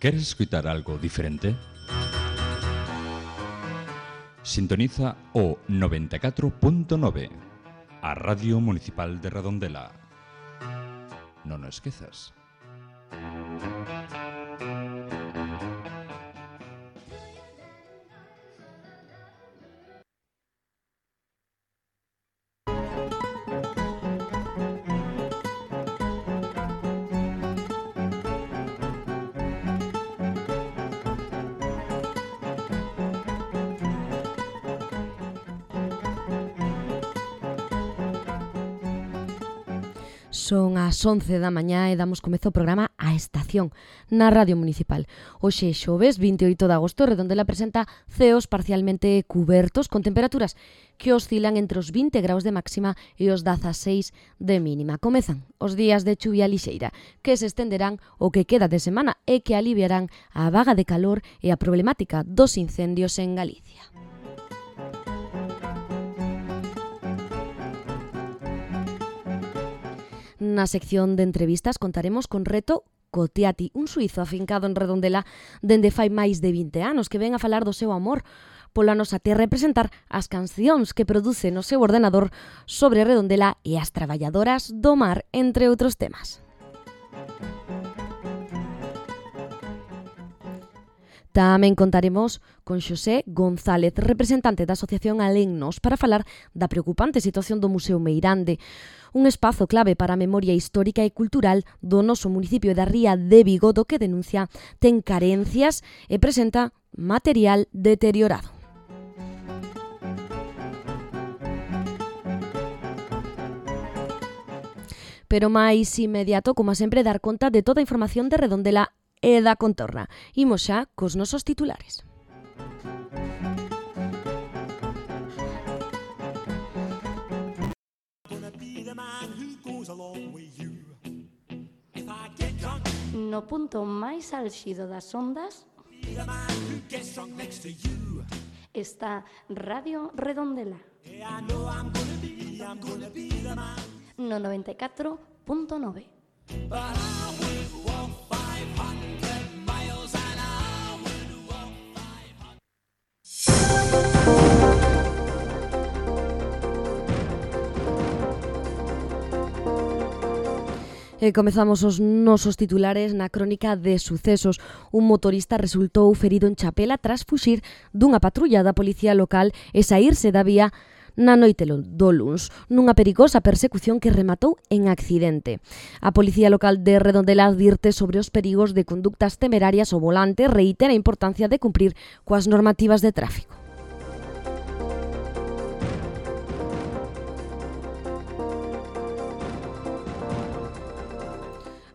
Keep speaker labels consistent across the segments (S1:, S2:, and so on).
S1: Queres escutar algo diferente? Sintoniza o 94.9, a Radio Municipal de Redondela. Non o esquezas.
S2: Son as 11 da mañá e damos comezo ao programa A Estación, na Radio Municipal. Hoxe xoves 28 de agosto, Redondela presenta ceos parcialmente cubertos con temperaturas que oscilan entre os 20 graus de máxima e os 16 de mínima. Comezan os días de chuvia lixeira, que se estenderán o que queda de semana e que aliviarán a vaga de calor e a problemática dos incendios en Galicia. Na sección de entrevistas contaremos con Reto Cotiati, un suizo afincado en Redondela dende fai máis de 20 anos que ven a falar do seu amor pola nosa terra e presentar as cancións que produce no seu ordenador sobre Redondela e as traballadoras do mar, entre outros temas. Tamén contaremos con Xosé González, representante da Asociación Alennos, para falar da preocupante situación do Museo Meirande, un espazo clave para a memoria histórica e cultural do noso municipio da Ría de Vigo, do que denuncia ten carencias e presenta material deteriorado. Pero máis inmediato, como sempre, dar conta de toda a información de Redondela e da contorna. Imos xa cos nosos titulares.
S3: No punto máis álxido das ondas está Radio Redondela no 94.9.
S2: Comezamos os nosos titulares na crónica de sucesos. Un motorista resultou ferido en Chapela tras fuxir dunha patrulla da policía local e saírse da vía na noite do luns, nunha perigosa persecución que rematou en accidente. A Policía Local de Redondela advirte sobre os perigos de conductas temerarias ao volante e reitera a importancia de cumprir coas normativas de tráfico.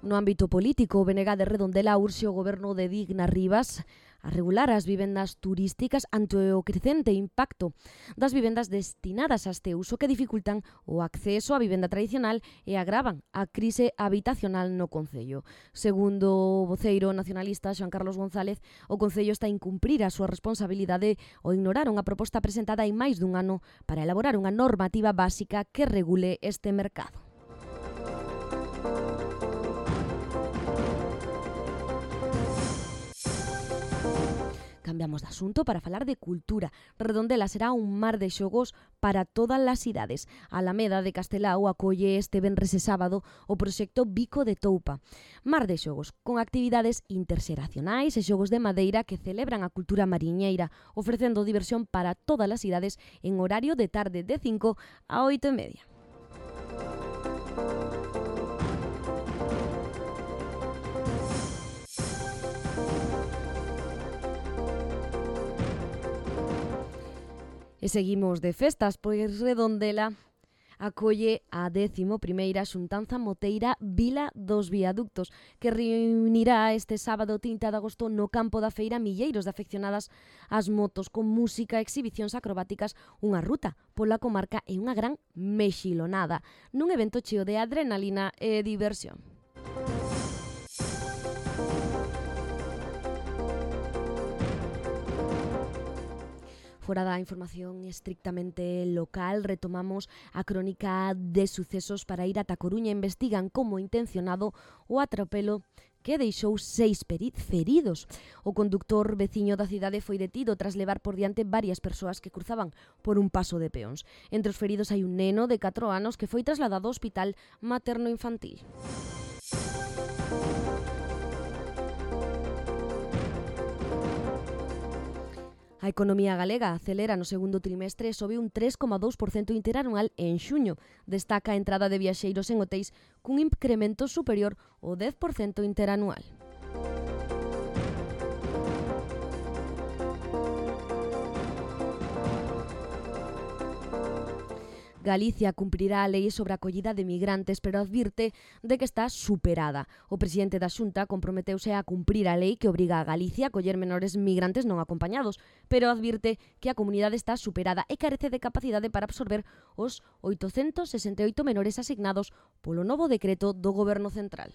S2: No ámbito político, o BNG de Redondela urxe o goberno de Digna Rivas a regular as vivendas turísticas ante o crecente impacto das vivendas destinadas a este uso que dificultan o acceso á vivenda tradicional e agravan a crise habitacional no concello. Segundo o voceiro nacionalista Xoán Carlos González, o concello está a incumprir a súa responsabilidade ao ignorar unha proposta presentada hai máis dun ano para elaborar unha normativa básica que regule este mercado. Cambiamos de asunto para falar de cultura. Redondela será un mar de xogos para todas as idades. A Alameda de Castelao acolle este venres e sábado o proxecto Bico de Toupa. Mar de xogos, con actividades interxeracionais e xogos de madeira que celebran a cultura mariñeira, ofrecendo diversión para todas as idades en horario de tarde de 5 a 8:30. E seguimos de festas, pois Redondela acolle a 11ª xuntanza moteira Vila dos Viaductos, que reunirá este sábado 30 de agosto no campo da feira milleiros de afeccionadas ás motos, con música, exhibicións acrobáticas, unha ruta pola comarca e unha gran mexilonada, nun evento cheo de adrenalina e diversión. Fora da información estrictamente local, retomamos a crónica de sucesos para ir ata Coruña. Investigan como intencionado o atropelo que deixou 6 feridos. O conductor veciño da cidade foi detido tras levar por diante varias persoas que cruzaban por un paso de peóns. Entre os feridos hai un neno de 4 anos que foi trasladado ao hospital materno-infantil. A economía galega acelera no segundo trimestre e sobe un 3,2% interanual en xuño. Destaca a entrada de viaxeiros en hotéis cun incremento superior ao 10% interanual. Galicia cumprirá a lei sobre a acollida de migrantes, pero advirte de que está superada. O presidente da Xunta comprometeuse a cumprir a lei que obriga a Galicia a acoller menores migrantes non acompañados, pero advirte que a comunidade está superada e carece de capacidade para absorber os 868 menores asignados polo novo decreto do Goberno Central.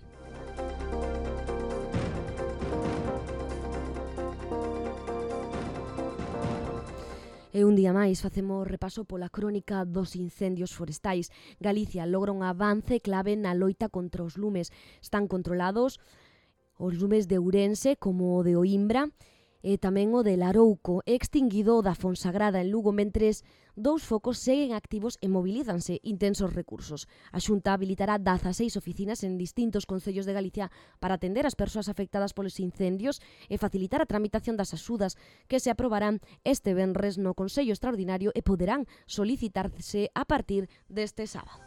S2: E un día máis facemos repaso pola crónica dos incendios forestais. Galicia logra un avance clave na loita contra os lumes. Están controlados os lumes de Ourense como o de Oimbra e tamén o de Larouco, extinguido o da Fonsagrada en Lugo, mentres 2 focos seguen activos e mobilízanse intensos recursos. A Xunta habilitará 16 oficinas en distintos concellos de Galicia para atender as persoas afectadas polos incendios e facilitar a tramitación das axudas que se aprobarán este venres no Consello Extraordinario e poderán solicitarse a partir deste sábado.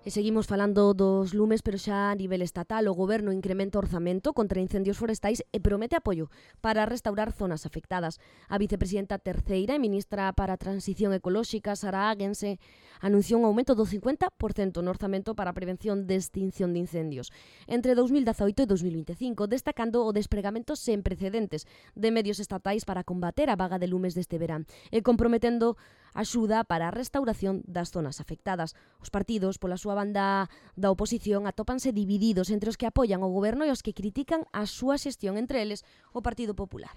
S2: E seguimos falando dos lumes, pero xa a nivel estatal. O Goberno incrementa o orzamento contra incendios forestais e promete apoio para restaurar zonas afectadas. A vicepresidenta terceira e ministra para a Transición Ecolóxica, Sara Águense, anunciou un aumento do 50% no orzamento para a prevención de extinción de incendios entre 2018 e 2025, destacando o despregamento sen precedentes de medios estatais para combater a vaga de lumes deste verán e comprometendo axuda para a restauración das zonas afectadas. Os partidos, pola súa banda da oposición, atópanse divididos entre os que apoian o goberno e os que critican a súa xestión, entre eles o Partido Popular.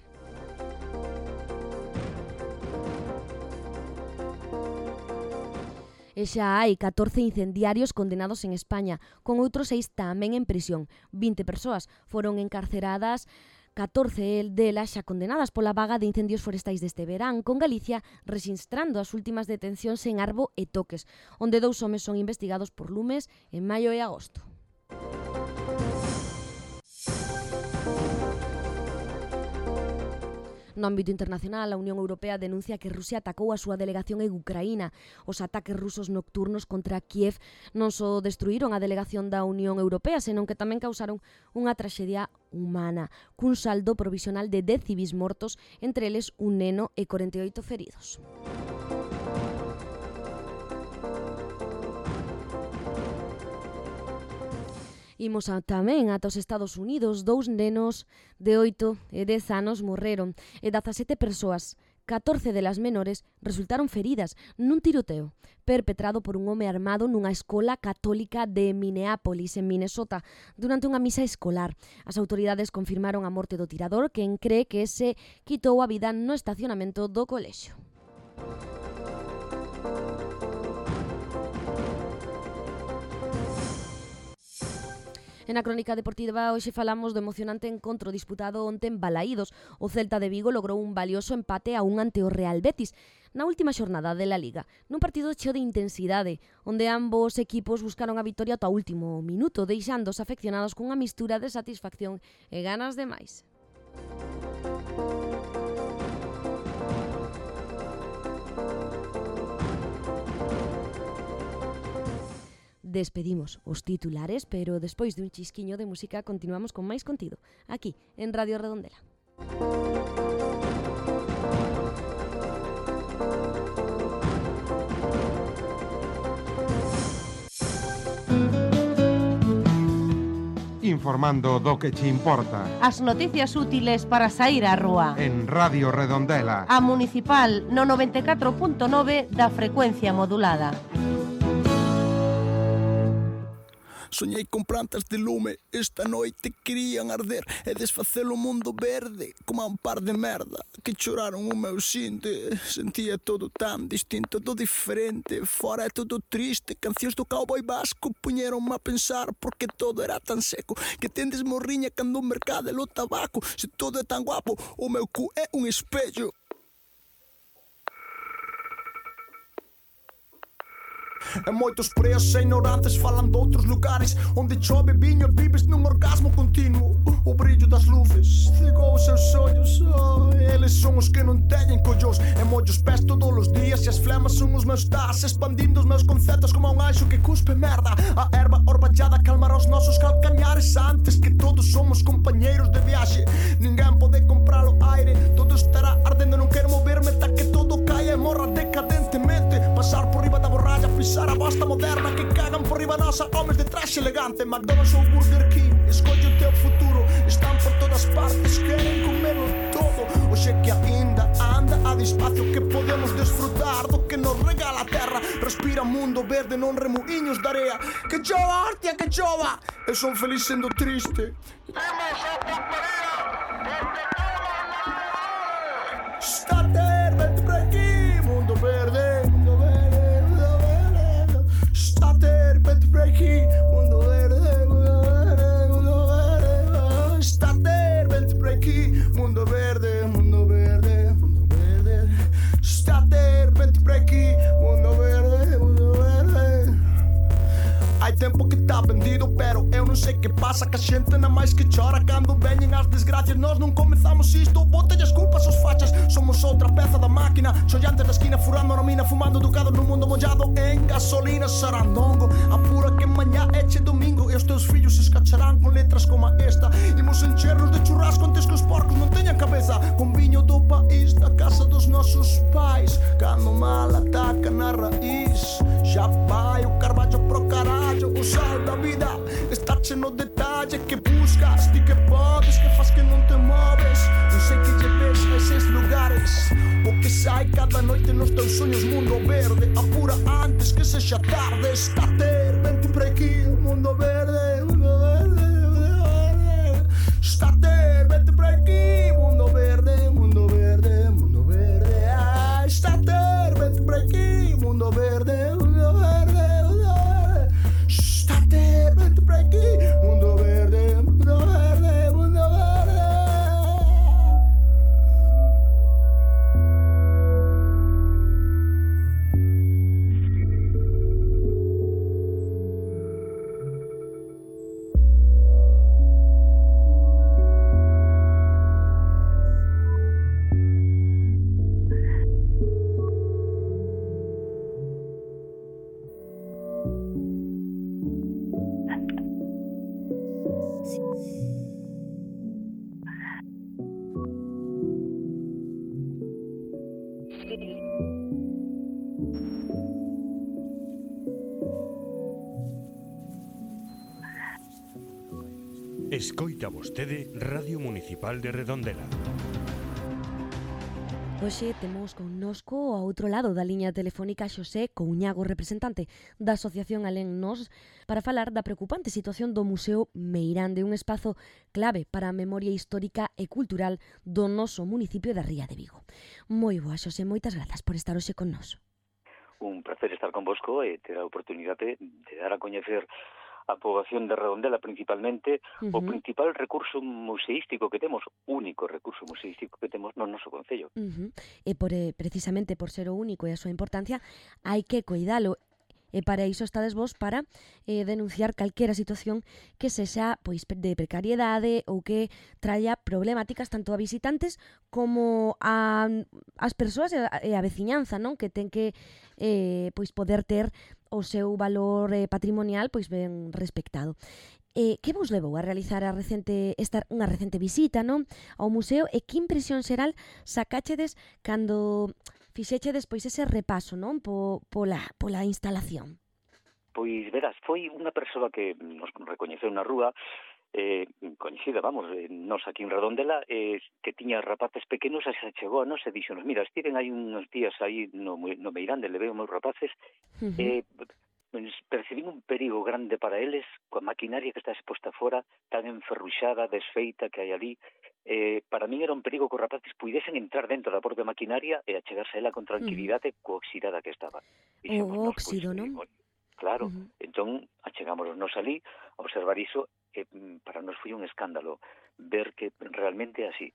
S2: E xa hai 14 incendiarios condenados en España, con outros 6 tamén en prisión. 20 persoas foron encarceradas, 14 delas xa condenadas pola vaga de incendios forestais deste verán, con Galicia rexistrando as últimas detencións en Arbo e Toques, onde 2 homes son investigados por lumes en maio e agosto. No ámbito internacional, a Unión Europea denuncia que Rusia atacou a súa delegación en Ucraína. Os ataques rusos nocturnos contra Kiev non só destruíron a delegación da Unión Europea, senón que tamén causaron unha traxedia humana, cun saldo provisional de 10 civis mortos, entre eles un neno e 48 feridos. Imos tamén ata os Estados Unidos. 2 nenos de 8 e 10 anos morreron e 17 persoas, 14 delas menores, resultaron feridas nun tiroteo perpetrado por un home armado nunha escola católica de Minneapolis, en Minnesota, durante unha misa escolar. As autoridades confirmaron a morte do tirador, quen cree que se quitou a vida no estacionamento do colexio. En a crónica deportiva hoxe falamos do emocionante encontro disputado onte en Balaídos. O Celta de Vigo logrou un valioso empate a 1 ante o Real Betis na última xornada de la Liga, nun partido cheo de intensidade, onde ambos equipos buscaron a vitoria ata o último minuto, deixando os afeccionados cunha mistura de satisfacción e ganas de máis. Despedimos os titulares, pero despois de un chisquiño de música continuamos con máis contido, aquí, en Radio Redondela.
S4: Informando do que che importa.
S5: As noticias útiles para sair á rúa.
S4: En Radio Redondela.
S5: A Municipal no 94.9 da frecuencia modulada.
S6: Soñei con plantas de lume, esta noite querían arder e desfacer o mundo verde como un par de merda que choraron o meu xinte. Sentía todo tan distinto, todo diferente. Fora é todo triste, cancións do cowboy vasco puñeronme a pensar porque todo era tan seco que tendes morriña cando o mercado o tabaco. Se todo é tan guapo, o meu cu é un espello. E moitos preos e ignorantes falan doutros lugares onde chove viño e vives nun orgasmo continuo. O brillo das luces cegou os seus ollos. Eles son os que non teñen collós e mollo os pés todos os días e as flemas son os meus das, expandindo os meus conceptos como un anxo que cuspe merda. A erva orballada calmará os nosos calcañares antes que todos somos compañeiros de viaxe. Ninguén pode comprar o aire, todo estará ardendo, non quero moverme ata que todo caia e morra decadentemente. Pasar por riba da borralla, pisar a bosta moderna que cagan por riba nosa, homes de traxe elegante. McDonald's ou Burger King, escolle o teu futuro. Están por todas partes, queren comelo todo. Oxe que aínda anda a despacio que podemos desfrutar do que nos regala a terra. Respira mundo verde, non remuiños de area. Que chova, hostia, que chova. Eu son feliz sendo triste. Temos a porquería, porque todo estate, vente por aquí, mundo verde, mundo verde, mundo verde. Estate, vente por aquí, mundo verde, mundo verde, mundo verde. Estate, vente por aquí, mundo verde, mundo verde, mundo verde. Estate, vente por aquí, mundo verde, mundo verde. Hai tempo que tá vendido, pero eu non sei que pasa que a xente na máis que chora cando veñen as desgracias. Nós non comezamos isto, botelle as culpas aos fachas. Somos outra peza da máquina, xollantes da esquina, furando a mina, fumando educados no mundo mollado en gasolina. Sarandongo, apura que mañá eche domingo e os teus fillos se escacharán con letras como esta. Imos enchernos de churrasco antes que os porcos non teñan cabeza, con viño do país, da casa dos nosos pais. Cando mal ataca na raíz, xa vai o carballo pro carallo. O sal da vida está cheno de detalle que buscas, ti que podes, que faz que non te moves. Non sei que lleves a eses lugares, o que sai cada noite nos teus sonhos. Mundo verde, apura antes que sexa tarde. Estate, vente por aquí, mundo verde, mundo verde, mundo verde. Estate, vente por aquí, mundo verde, mundo verde, mundo verde. Estate, vente por aquí, mundo verde, mundo verde, mundo verde. Estate, vente por aquí, mundo verde, mundo verde, mundo verde.
S7: Escoita vostede Radio Municipal de Redondela.
S2: Hoxe temos connosco ao outro lado da liña telefónica Xosé Couñago, representante da Asociación Alén Nos, para falar da preocupante situación do Museo Meirande, un espazo clave para a memoria histórica e cultural do noso municipio da Ría de Vigo. Moi boa, Xosé, moitas grazas por estar hoxe con nos.
S8: Un placer estar convosco e ter a oportunidade de dar a coñecer a poboación de Redondela principalmente, o principal recurso museístico que temos, único recurso museístico que temos no noso concello.
S2: E precisamente por ser o único e a súa importancia, hai que cuidalo. E para iso estades vos para denunciar calquera situación que sexa pois de precariedade ou que traia problemáticas tanto a visitantes como as persoas e a veciñanza, non? Que ten que pois poder ter o seu valor patrimonial pois ben respectado. Que vos levou a realizar unha recente visita, non, ao museo, e que impresión xeral sacáchedes cando fixechedes pois ese repaso, non, pola instalación?
S8: Pois verás, foi unha persoa que nos recoñeceu na rúa, coñecida, vamos, nos aquí en Redondela, que tiña rapaces pequenos, e se chegou a nos e dixonos, mira, estiven aí uns días aí no Meirande, levei os meus rapaces, percibín un perigo grande para eles coa maquinaria que está exposta fora, tan enferruxada, desfeita que hai ali. Para min era un perigo que os rapaces puidesen entrar dentro da propia maquinaria e achegarse a ela con tranquilidade co oxidada que estaba.
S2: O óxido, non?
S8: Claro, entón achegámonos ali a observar iso, e para nos foi un escándalo ver que realmente é así.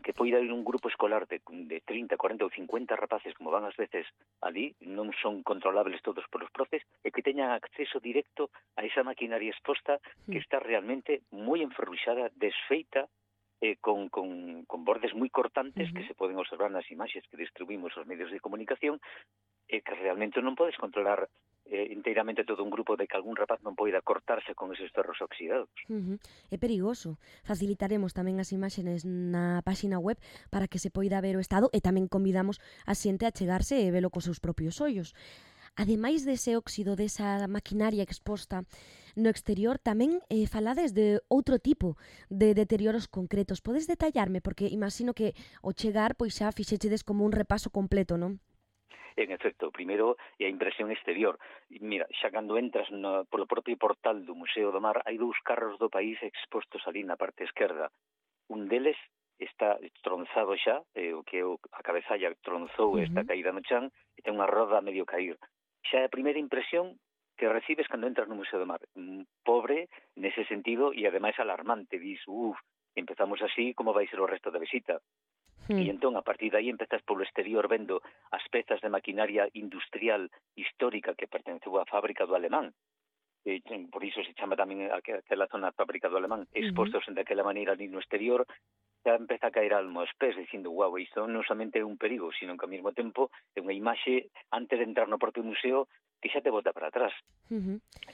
S8: Que poida ir un grupo escolar de 30, 40 ou 50 rapaces, como van ás veces ali, non son controlables todos polos profes, e que teñan acceso directo a esa maquinaria exposta que está realmente moi enferruxada, desfeita, con bordes moi cortantes que se poden observar nas imaxes que distribuímos aos medios de comunicación, e que realmente non podes controlar inteiramente todo un grupo de que algún rapaz non poida cortarse con eses ferros oxidados.
S2: É perigoso. Facilitaremos tamén as imaxes na páxina web para que se poida ver o estado e tamén convidamos a xente a chegarse e velo cos seus propios ollos. Ademais dese óxido, desa maquinaria exposta no exterior, tamén falades de outro tipo de deterioros concretos. Podes detallarme? Porque imagino que ao chegar pois xa fixechedes como un repaso completo, non?
S8: En efecto, primeiro é a impresión exterior. Mira, xa cando entras polo propio portal do Museo do Mar, hai 2 carros do país expostos ali na parte esquerda. Un deles está tronzado xa, o que a cabezalla tronzou e está caída no chan, e ten unha roda a medio cair. Xa é a primeira impresión que recibes cando entras no Museo do Mar. Pobre nese sentido e ademais alarmante. Dis, empezamos así, como vai ser o resto da visita? E entón, a partir de aí, empezas polo exterior vendo as pezas de maquinaria industrial histórica que pertenceu á fábrica do Alemán. Por iso se chama tamén aquela zona fábrica do Alemán, expostos daquela maneira ali no exterior. Já empeza a caer almo aos pés, dicindo, guau, isto non somente é un perigo, sino que ao mesmo tempo é unha imaxe, antes de entrar no propio museo, que xa te bota para atrás.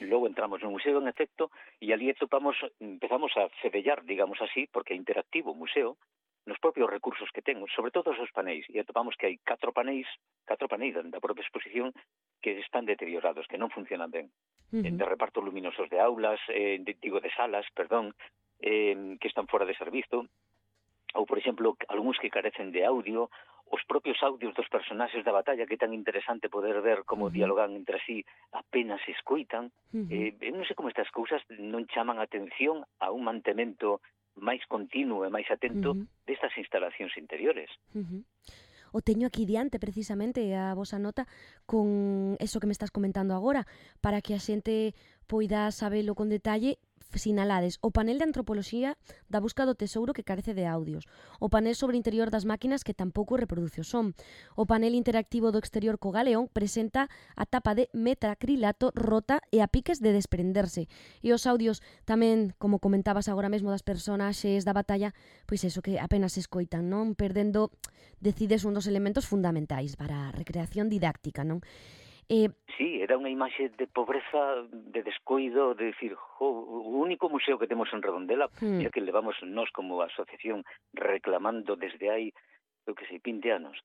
S8: Logo entramos no museo, en efecto, e ali empezamos a fedellar, digamos así, porque é interactivo o museo, nos propios recursos que ten, sobre todo os paneis, e atopamos que hai 4 paneis da propia exposición que están deteriorados, que non funcionan ben. De reparto luminosos de aulas, de salas, que están fora de servizo, ou, por exemplo, algúns que carecen de audio, os propios audios dos personaxes da batalla, que é tan interesante poder ver como dialogan entre sí, apenas se escoitan. Non sei como estas cousas non chaman a atención a un mantemento máis continuo e máis atento destas instalacións interiores.
S2: O teño aquí diante, precisamente, a vosa nota con eso que me estás comentando agora, para que a xente poida sabelo con detalle. Sinalades o panel de antropoloxía da busca do tesouro que carece de audios, o panel sobre o interior das máquinas que tampouco reproduce o son, o panel interactivo do exterior co galeón presenta a tapa de metacrilato rota e a piques de desprenderse, e os audios tamén, como comentabas agora mesmo, das personaxes da batalla, pois eso que apenas se escoitan, non? Perdendo, decides, un dos elementos fundamentais para a recreación didáctica, non?
S8: Sí, era unha imaxe de pobreza, de descoido, de decir, o único museo que temos en Redondela, e que levamos nós como asociación reclamando desde hai, 20 anos,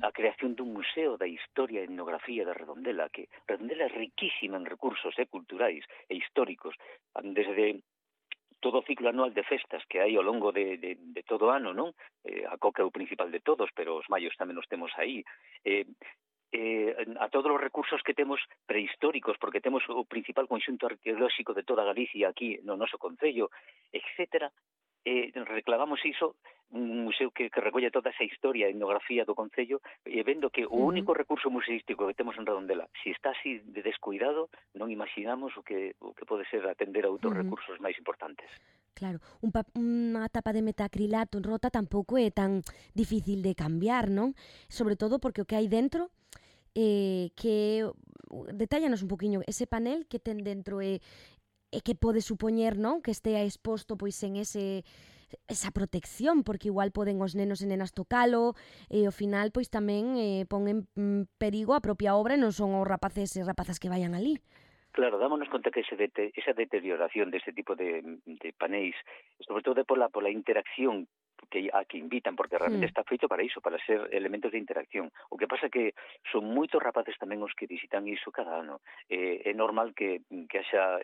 S8: a creación dun museo da historia e etnografía de Redondela, que Redondela é riquísima en recursos culturais e históricos, desde todo o ciclo anual de festas que hai ao longo de todo o ano, non? A coca é o principal de todos, pero os maios tamén os temos aí. A todos os recursos que temos prehistóricos, porque temos o principal conxunto arqueolóxico de toda Galicia aquí no noso concello, etcétera, reclamamos iso, un museo que recolle toda esa historia e etnografía do concello, e vendo que o único recurso museístico que temos en Redondela, se está así de descuidado, non imaginamos o que pode ser atender a outros recursos máis importantes.
S2: Claro, unha tapa de metacrilato rota tampouco é tan difícil de cambiar, non? Sobre todo porque o que hai dentro, que detállanos un poquinho ese panel que ten dentro e que pode supoñer, non? Que estea exposto pois en esa protección, porque igual poden os nenos e nenas tocalo e ao final pois tamén pon en perigo a propia obra e non son os rapaces e rapazas que vayan ali.
S8: Claro, dámonos conta que esa deterioración deste tipo de panéis, sobre todo pola interacción a que invitan, porque realmente está feito para iso, para ser elementos de interacción. O que pasa que son moitos rapaces tamén os que visitan iso cada ano. É normal que haxa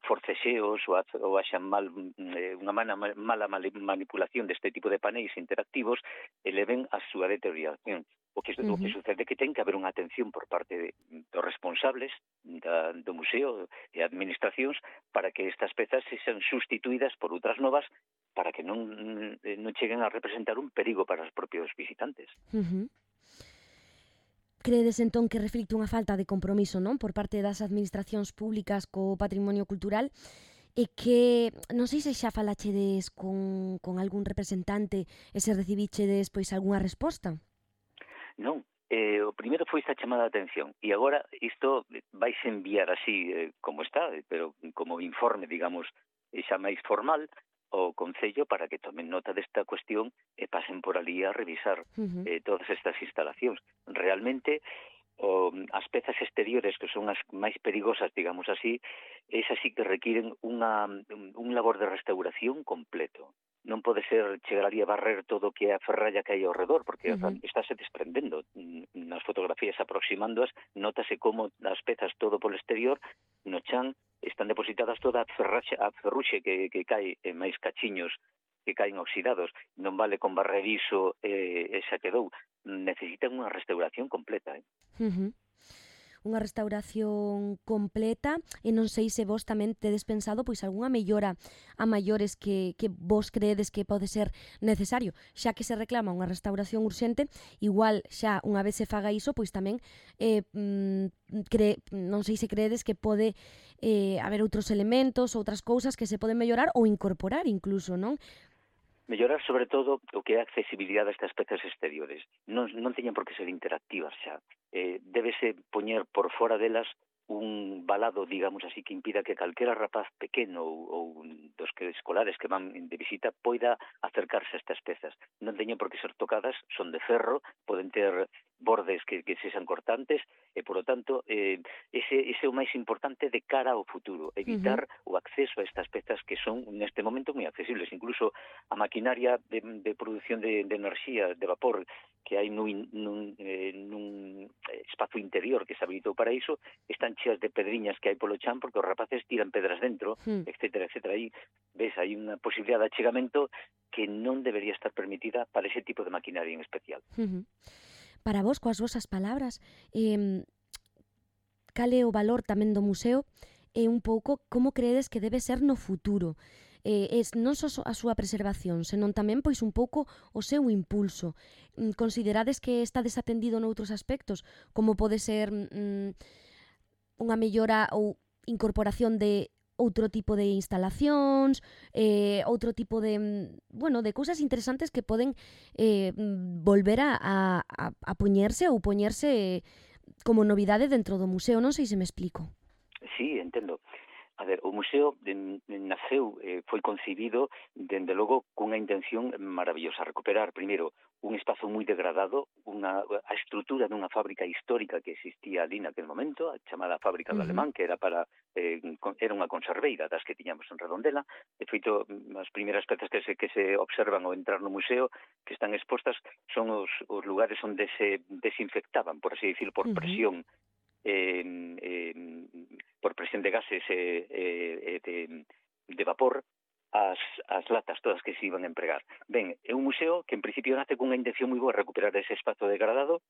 S8: forcexeos ou haxa unha mala manipulación deste tipo de paneis interactivos e leven a súa deterioración. O que sucede é que ten que haber unha atención por parte dos responsables do museo e administracións para que estas pezas sexan sustituídas por outras novas para que non cheguen a representar un perigo para os propios visitantes.
S2: Credes entón que reflicte unha falta de compromiso, non, por parte das administracións públicas co patrimonio cultural e que non sei se xa falachedes con algún representante e se recibichedes pois algunha resposta?
S8: Non, o primeiro foi esta chamada de atención e agora isto vais enviar así como está, pero como informe, digamos, xa máis formal ao Concello para que tomen nota desta cuestión e pasen por ali a revisar todas estas instalacións. Realmente, as pezas exteriores, que son as máis perigosas, digamos así, esas sí que requiren un labor de restauración completo. Non pode ser chegar ali a barrer todo o que é a ferralla que hai ao redor, porque estáse desprendendo. Nas fotografías aproximándoas, notase como as pezas todo polo exterior, no chan, están depositadas toda a ferruxe que cae en máis cachiños que caen oxidados. Non vale con barrer iso e xa quedou. Necesitan unha restauración completa.
S2: Unha restauración completa e non sei se vos tamén tedes pensado pois algunha mellora a maiores que vos creedes que pode ser necesario, xa que se reclama unha restauración urxente, igual xa unha vez se faga iso, pois tamén non sei se creedes que pode haber outros elementos, outras cousas que se poden mellorar ou incorporar incluso, non?
S8: Mellorar, sobre todo, o que é a accesibilidade a estas pezas exteriores. Non teñen por que ser interactivas xa. Débese poñer por fora delas un balado, digamos así, que impida que calquera rapaz pequeno ou dos que escolares que van de visita poida acercarse a estas pezas. Non teñen por que ser tocadas, son de ferro, poden ter bordes que sexan cortantes e, por lo tanto, ese é o máis importante de cara ao futuro, evitar o acceso a estas pezas que son, neste momento, moi accesibles. Incluso a maquinaria de produción de enerxía, de vapor, que hai nun espazo interior que se habilitou para iso, están cheas de pedriñas que hai polo chan porque os rapaces tiran pedras dentro, etcétera, etcétera. Aí, ves, hai unha posibilidade de achegamento que non debería estar permitida para ese tipo de maquinaria en especial.
S2: Para vos, coas vosas palabras, cal é o valor tamén do museo e un pouco como credes que debe ser no futuro? Non só a súa preservación, senón tamén pois un pouco o seu impulso. Considerades que está desatendido noutros aspectos, como pode ser unha mellora ou incorporación de outro tipo de instalacións, outro tipo de cousas interesantes que poden volver a poñerse ou poñerse como novidade dentro do museo. Non sei se me explico.
S8: Sí, entendo. A ver, o museo naceu, foi concibido, dende logo, cunha intención maravillosa, recuperar, primeiro, un espazo moi degradado, a estrutura dunha fábrica histórica que existía ali naquele momento, a chamada fábrica do Alemán, que era unha conserveira das que tiñamos en Redondela. De feito, as primeiras pezas que se observan ao entrar no museo, que están expostas, son os lugares onde se desinfectaban, por así dicir, por presión, por presión de gases de vapor, as latas todas que se iban a empregar. Ben, é un museo que en principio nace cunha intención moi boa, recuperar ese espazo degradado,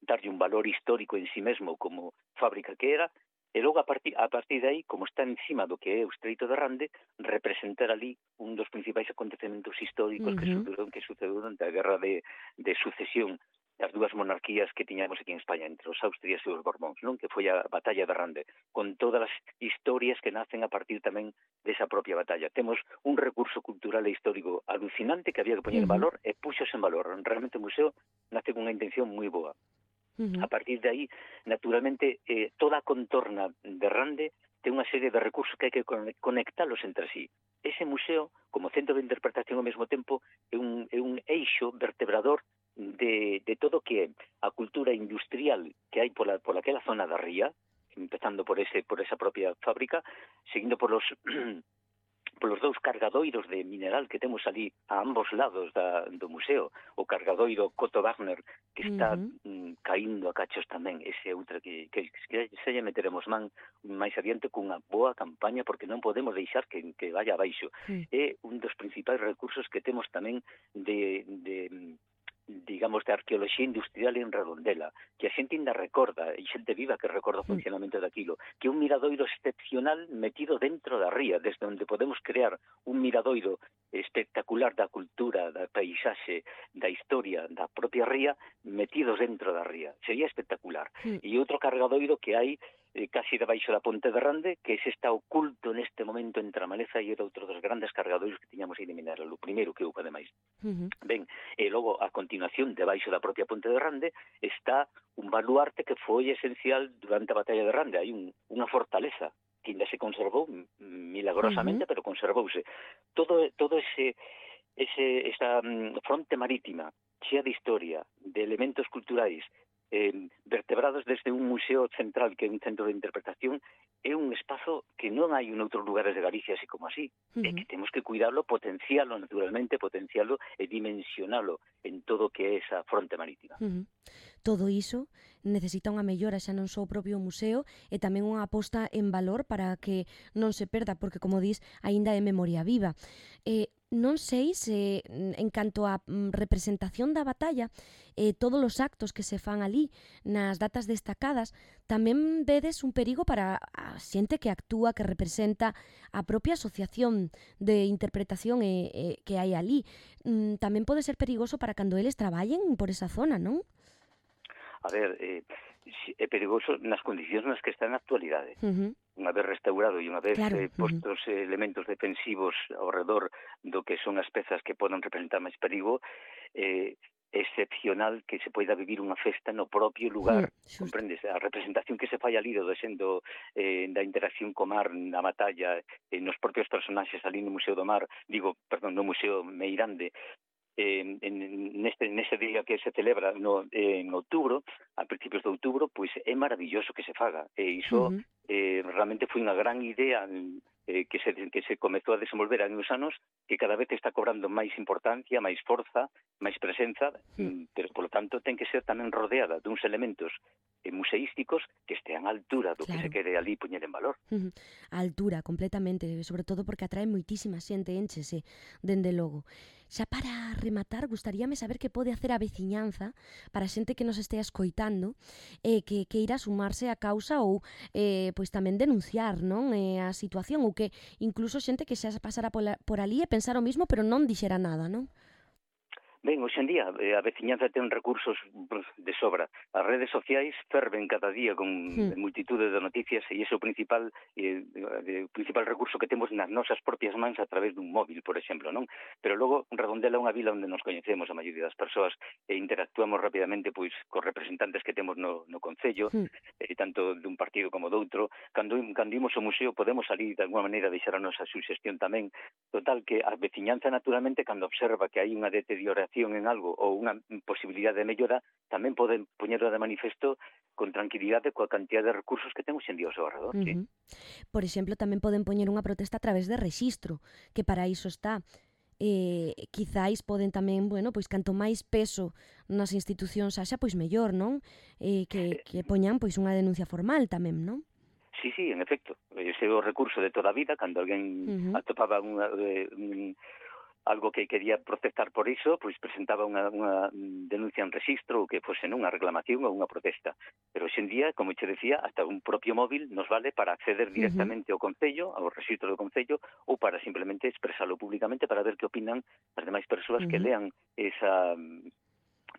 S8: darlle un valor histórico en sí mesmo como fábrica que era, e logo a partir de aí, como está encima do que é o Estreito de Rande, representar ali un dos principais acontecementos históricos que sucedeu durante a guerra de sucesión das dúas monarquías que tiñamos aquí en España, entre os Austrias e os Borbóns, non? Que foi a batalla de Rande, con todas as historias que nacen a partir tamén desa propia batalla. Temos un recurso cultural e histórico alucinante que había que poñer en valor e puxos en valor. Realmente o museo nace con unha intención moi boa. A partir de aí, naturalmente, toda a contorna de Rande ten unha serie de recursos que hai que conectalos entre sí. Ese museo, como centro de interpretación ao mesmo tempo, é un eixo vertebrador de todo o que é a cultura industrial que hai por aquela zona da ría, empezando por esa propia fábrica, seguindo por polos dous cargadoiros de mineral que temos ali a ambos lados do museo, o cargadoiro Coto Wagner, que está caindo a cachos tamén, ese outra que se lle meteremos man máis adiante cunha boa campaña, porque non podemos deixar que vaya abaixo. É un dos principais recursos que temos tamén digamos, de arqueoloxía industrial en Redondela, que a xente ainda recorda, e xente viva que recorda o funcionamento daquilo, que é un miradoiro excepcional metido dentro da ría, desde onde podemos crear un miradoiro espectacular da cultura, da paisaxe, da historia, da propia ría, metidos dentro da ría. Sería espectacular. E outro cargadoiro que hai casi debaixo da Ponte de Rande, que ese está oculto neste momento entre a maleza, e era outro dos grandes cargadoiros que tiñamos aí de mineral, o primeiro que houve ademais. Ben, e logo, a continuación, debaixo da propia Ponte de Rande, está un baluarte que foi esencial durante a Batalla de Rande. Hai unha fortaleza que ainda se conservou milagrosamente, pero conservouse. Todo esa fronte marítima, chea de historia, de elementos culturais, vertebrados desde un museo central que é un centro de interpretación, é un espazo que non hai en outros lugares de Galicia así como así, e que temos que cuidarlo, potencialo naturalmente, potencialo e dimensionalo en todo o que é esa fronte marítima.
S2: Todo iso necesita unha mellora xa non só o propio museo, e tamén unha aposta en valor para que non se perda, porque, como dis, aínda é memoria viva. Non sei se, en canto á representación da batalla, todos os actos que se fan ali nas datas destacadas, tamén vedes un perigo para a xente que actúa, que representa a propia asociación de interpretación que hai ali. Tamén pode ser perigoso para cando eles traballen por esa zona, non?
S8: A ver, é perigoso nas condicións nas que está na actualidade. Unha vez restaurado e unha vez postos elementos defensivos ao redor do que son as pezas que poden representar máis perigo, excepcional que se poida vivir unha festa no propio lugar, comprendes? A representación que se fai ali da interacción co mar na batalla, nos propios personaxes ali no Museo do Mar, no Museo Meirande, nese día que se celebra en outubro, a principios de outubro, pois é maravilloso que se faga, e iso realmente foi unha gran idea que se comezou a desenvolver hai uns anos, que cada vez está cobrando máis importancia, máis forza, máis presenza, pero, polo tanto, ten que ser tamén rodeada duns elementos museísticos que estean á altura do que se quere ali poñer en valor.
S2: A altura, completamente, sobre todo porque atrae moitísima xente, énchese, dende logo. Xa para rematar, gustaríame saber que pode hacer a veciñanza para a xente que nos estea escoitando, que irá sumarse á causa ou pois tamén denunciar, non, a situación, ou que incluso xente que xa pasara por ali e pensar o mismo, pero non dixera nada, non?
S8: Ben, hoxe en día a veciñanza ten recursos de sobra. As redes sociais ferven cada día con multitude de noticias, e iso é o principal recurso que temos nas nosas propias mans a través dun móvil, por exemplo, non? Pero logo Redondela é unha vila onde nos coñecemos a maioría das persoas e interactuamos rapidamente pois cos representantes que temos no concello, tanto dun partido como doutro. Cando imos ao museo podemos salir de alguma maneira deixar a nosa suxestión tamén. Total, que a veciñanza naturalmente, cando observa que hai unha deterioración en algo ou unha posibilidade de mellora, tamén poden poñerlo de manifesto con tranquilidade coa cantidad de recursos que temos en día ao seu arredor.
S2: Por exemplo, tamén poden poñer unha protesta a través de rexistro, que para iso está. Quizáis poden tamén, pois canto máis peso nas institucións haxa, pois mellor, non? Que poñan pois unha denuncia formal tamén, non?
S8: Sí, en efecto. Ese é o recurso de toda a vida, cando alguén atopaba algo que quería protestar por iso, pois presentaba unha denuncia en rexistro, ou que fose unha reclamación ou unha protesta. Pero hoxe en día, como che decía, hasta un propio móvil nos vale para acceder directamente ao Concello, ao rexistro do Concello, ou para simplemente expresalo públicamente para ver que opinan as demais persoas que lean esa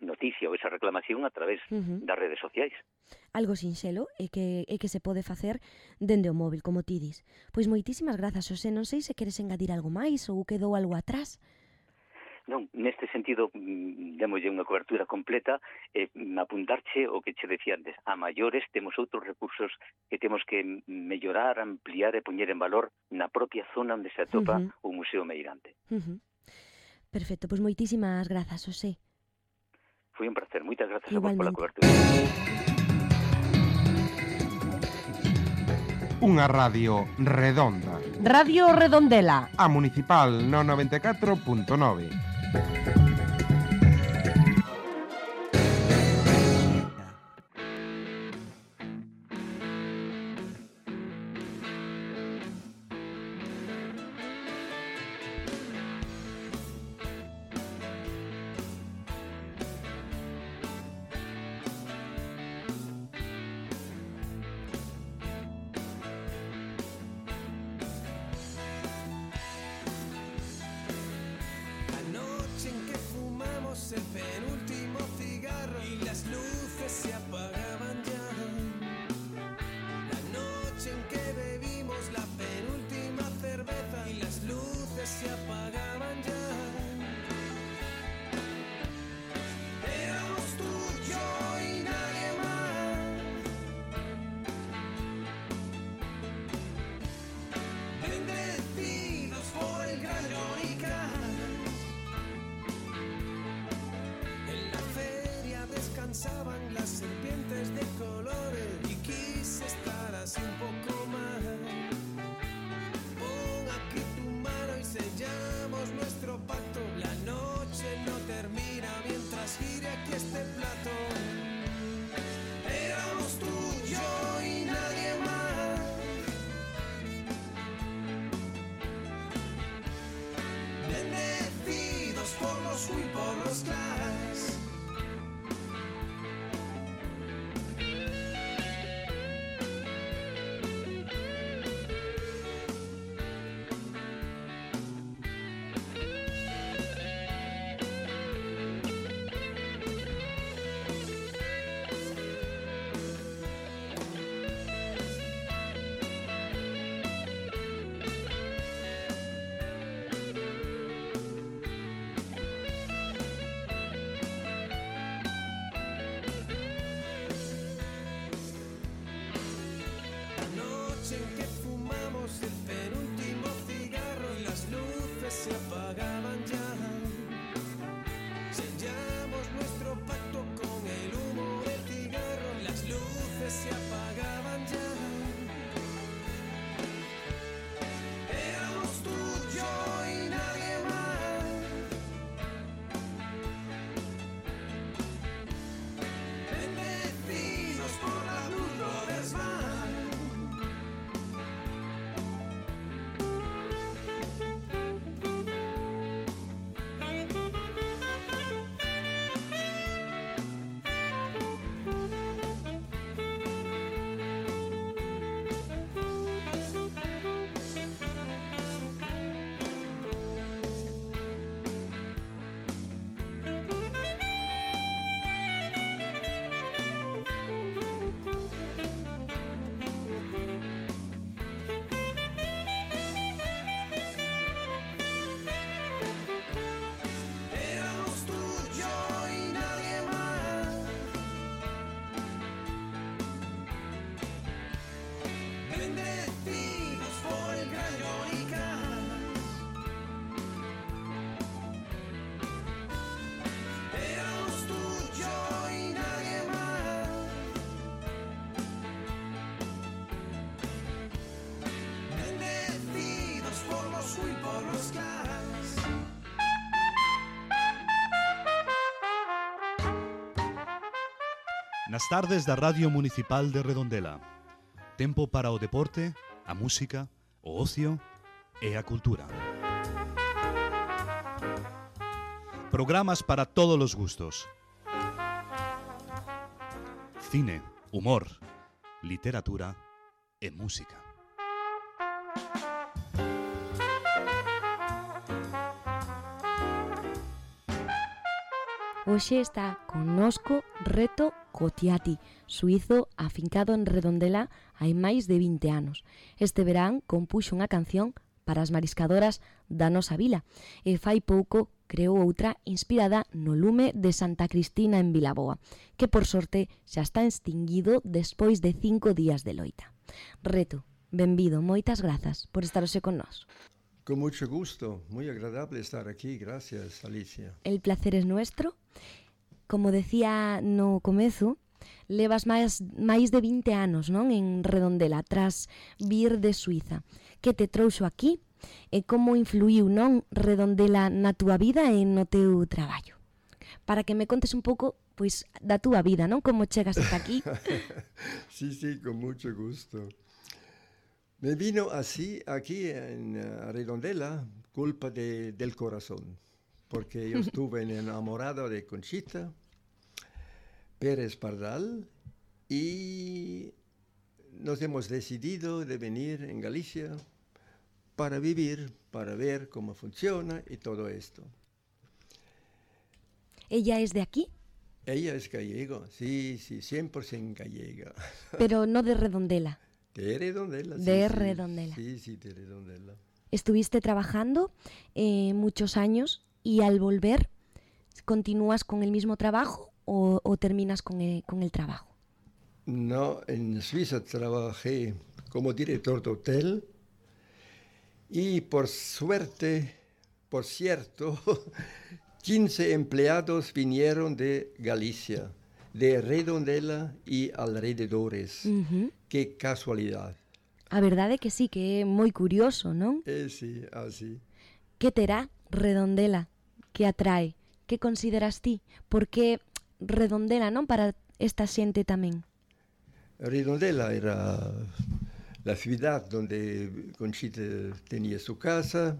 S8: noticia ou esa reclamación a través das redes sociais.
S2: Algo sinxelo e que se pode facer dende o móvil, como ti dis. Pois moitísimas grazas, Xosé. Non sei se queres engadir algo máis ou quedou algo atrás.
S8: Non, neste sentido, démolle unha cobertura completa, apuntarche o que che decía antes. A maiores temos outros recursos que temos que mellorar, ampliar e poñer en valor na propia zona onde se atopa o Museo Meirande.
S2: Perfecto, pois moitísimas grazas, Xosé.
S8: Foi un placer, moitas grazas a vos pola cobertura.
S4: Unha radio redonda.
S5: Radio Redondela.
S4: A Municipal no 94.9.
S9: El penúltimo cigarro y las luces se apagaban ya. La noche en que bebimos la penúltima cerveza y las luces se apagaban ya. Éramos tú, yo y nadie más. Bendecidos por el gran Johnny Cash. Descansaban las serpientes de colores y quise estar así un poco más. Pon aquí tu mano y sellamos nuestro pacto. La noche no termina mientras gire aquí este plato. Éramos tú, yo y nadie más. Bendecidos por los y por los Clash. En que fumamos el penúltimo cigarro y las luces se apagaban ya. Sellamos nuestro pacto con el humo del cigarro y las luces se apagaban ya. Éramos tú, yo y nadie más. Bendecidos por la luz Brothers Band. Bendecidos por el gran Johnny Cash. Éramos tú, yo y nadie más. Bendecidos por los y por los Clash.
S10: Nas tardes da Radio Municipal de Redondela. Tempo para o deporte, a música, o ocio e a cultura. Programas para todos os gustos. Cine, humor, literatura e música.
S2: Hoxe está connosco Reto Cotiati, suizo afincado en Redondela hai máis de 20 anos. Este verán compuxo unha canción para as mariscadoras da nosa vila e fai pouco creou outra inspirada no lume de Santa Cristina en Vilaboa, que por sorte xa está extinguido despois de 5 días de loita. Reto, benvido, moitas grazas por estar hoxe con nós.
S11: Con mucho gusto, muy agradable estar aquí, gracias Alicia.
S2: El placer es nuestro. Como decía no comezo, levas máis de 20 anos, non, en Redondela, tras vir de Suiza. Que te trouxo aquí e como influiu, non, Redondela na túa vida e no teu traballo? Para que me contes un pouco, pois, da túa vida, non? Como chegas hasta aquí?
S11: Sí, con mucho gusto. Me vino así aquí en Redondela culpa del corazón, porque yo estuve enamorado de Conchita Pérez Pardal y nos hemos decidido de venir en Galicia para vivir, para ver cómo funciona y todo esto.
S2: ¿Ella es de aquí?
S11: Ella es gallega, sí, 100% gallega.
S2: Pero no de Redondela.
S11: De Redondela.
S2: De Redondela.
S11: Sí, de Redondela.
S2: Estuviste trabajando muchos años y al volver, ¿continúas con el mismo trabajo o terminas con el trabajo?
S11: No, en Suiza trabajé como director de hotel y por suerte, por cierto, 15 empleados vinieron de Galicia, de Redondela y alrededores. Qué casualidad.
S2: A verdade que sí, que é moi curioso, non?
S11: Sí, así.
S2: Que terá Redondela que atrae? Que consideras ti? Por que Redondela, non, para esta xente tamén?
S11: Redondela era la ciudad donde Conchita tenía su casa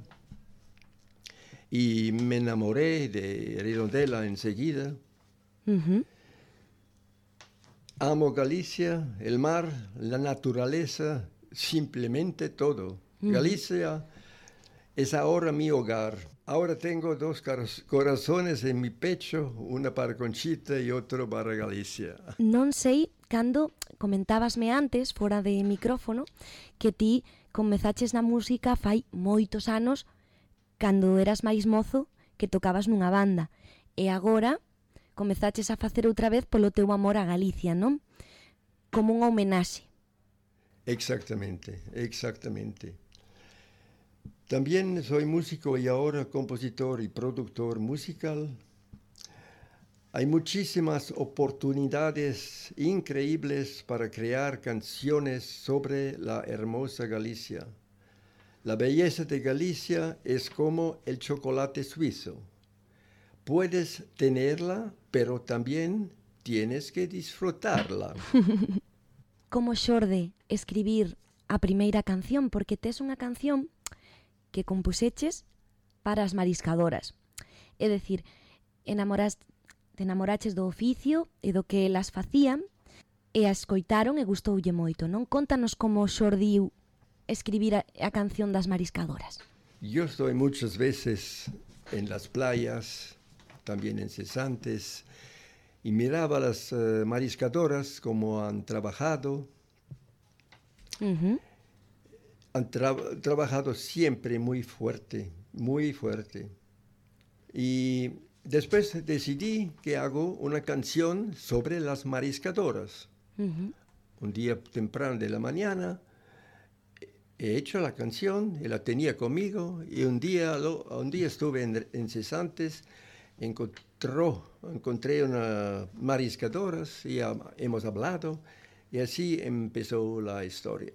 S11: y me enamoré de Redondela enseguida. Amo Galicia, el mar, la naturaleza, simplemente todo. Galicia es ahora mi hogar. Ahora tengo dos corazones en mi pecho, una para Conchita y otro para Galicia.
S2: Non sei cando comentábasme antes, fora de micrófono, que ti comezaches na música fai moitos anos, cando eras máis mozo, que tocabas nunha banda. E agora comezaches a facer outra vez polo teu amor a Galicia, non? Como unha homenaxe.
S11: Exactamente. También soy músico y ahora compositor y productor musical. Hay muchísimas oportunidades increíbles para crear canciones sobre la hermosa Galicia. La belleza de Galicia es como el chocolate suizo. Puedes tenerla, pero también tienes que disfrutarla.
S2: Como xorde escribir a primeira canción? Porque tes unha canción que compuseches para as mariscadoras. É dicir, te enamoraches do oficio e do que elas facían e a escoitaron e gustoulle moito, non? Contanos como xordiu escribir a canción das mariscadoras.
S11: Yo estoy muchas veces en las playas, también en cesantes, y miraba a las mariscadoras como han trabajado. Han trabajado siempre muy fuerte. Y después decidí que hago una canción sobre las mariscadoras. Un día temprano de la mañana he hecho la canción y la tenía conmigo, y un día estuve en cesantes. Encontré unas mariscadoras y hemos hablado, y así empezó la historia.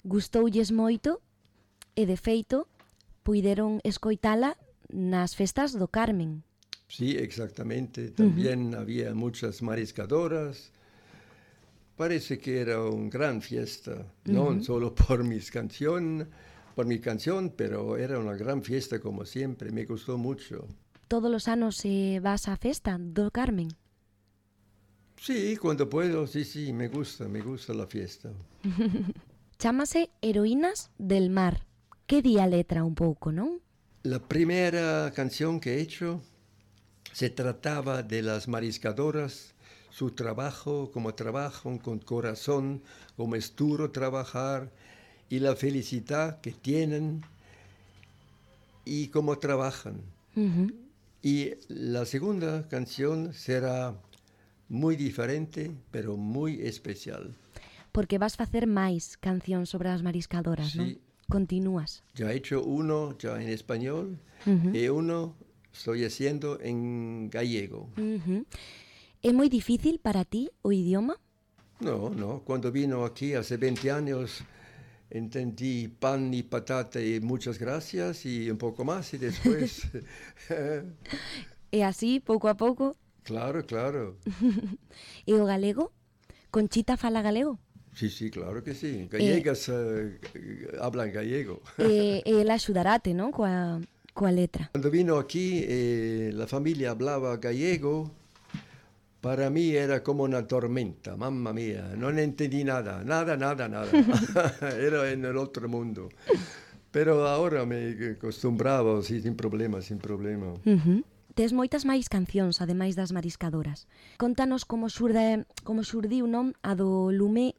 S2: Gustoulles moito e, de feito, puideron escoitala nas festas do Carmen.
S11: Sí, exactamente. También había muchas mariscadoras. Parece que era una gran fiesta, no solo por mi canción, pero era una gran fiesta como siempre. Me gustó mucho.
S2: Todos os anos vas á festa do Carmen?
S11: Sí, cuando puedo, sí, me gusta la fiesta.
S2: Chámase Heroínas del Mar. Que di a letra un pouco, non?
S11: La primera canción que he hecho se trataba de las mariscadoras, su trabajo, cómo trabajan con corazón, cómo es duro trabajar y la felicidad que tienen y cómo trabajan. Y la segunda canción será muy diferente, pero muy especial.
S2: Porque vas facer máis cancións sobre as mariscadoras, non? Continúas.
S11: Ya he hecho uno ya en español y uno estoy haciendo en gallego.
S2: É moi difícil para ti o idioma?
S11: No, cuando vino aquí hace 20 años entendí pan y patata y muchas gracias y un poco más y después...
S2: E así, pouco a pouco?
S11: Claro.
S2: E o galego? Conchita fala galego?
S11: Sí, claro que sí. Gallegas hablan gallego.
S2: Ela axudaráte, non? Coa letra.
S11: Cuando vino aquí, la familia hablaba gallego. Para mí era como una tormenta, mamma mía. No entendí nada. Era en el otro mundo. Pero ahora me acostumbraba, sí, sin problema.
S2: Tes moitas máis cancións, ademais das Mariscadoras. Contanos como xurdiu, non, a do lume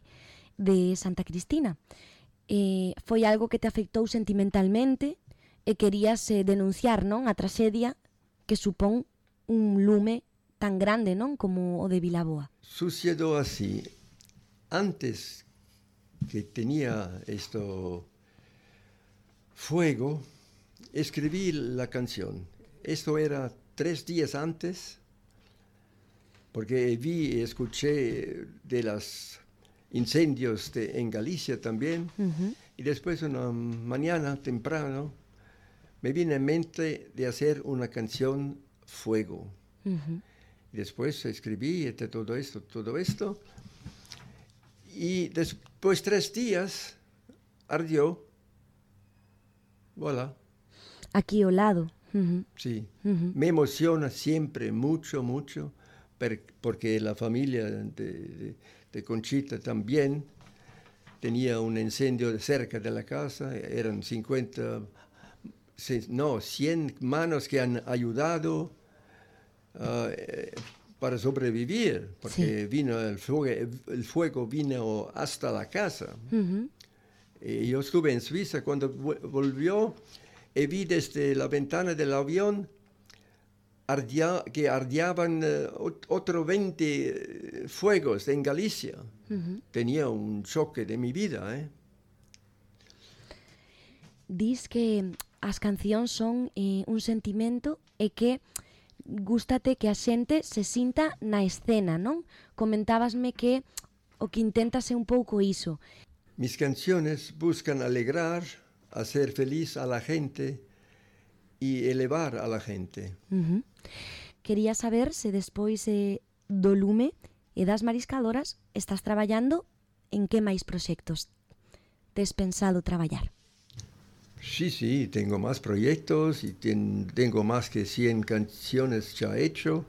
S2: de Santa Cristina. Foi algo que te afectou sentimentalmente e querías denunciar, non, a traxedia que supón un lume tan grande, non, como o de Vilaboa.
S11: Sucedió así. Antes que tenía esto fuego, escribí la canción. Esto era 3 días antes, porque vi y escuché de los incendios en Galicia también, y después una mañana temprano me vino en mente de hacer una canción Fuego. Y después escribí todo esto, y después 3 días ardió, voilà.
S2: Aquí ao lado.
S11: Sí, me emociona siempre mucho, porque la familia de Conchita también tenía un incendio cerca de la casa, eran 100 manos que han ayudado para sobrevivir, porque vino el fuego vino hasta la casa. Y yo estuve en Suiza cuando volvió. Y vi desde la ventana del avión que ardían otros 20 fuegos en Galicia. Tenía un choque de mi vida.
S2: Dis que as cancións son un sentimento e que gústate que a xente se sinta na escena, non? Comentábasme que o que intentas é un pouco iso.
S11: Mis canciones buscan alegrar, hacer feliz a la gente y elevar a la gente.
S2: Quería saber se despois do lume e das Mariscadoras estás traballando en que máis proxectos tes pensado traballar.
S11: Sí, tengo más proyectos y tengo más que 100 canciones ya hecho,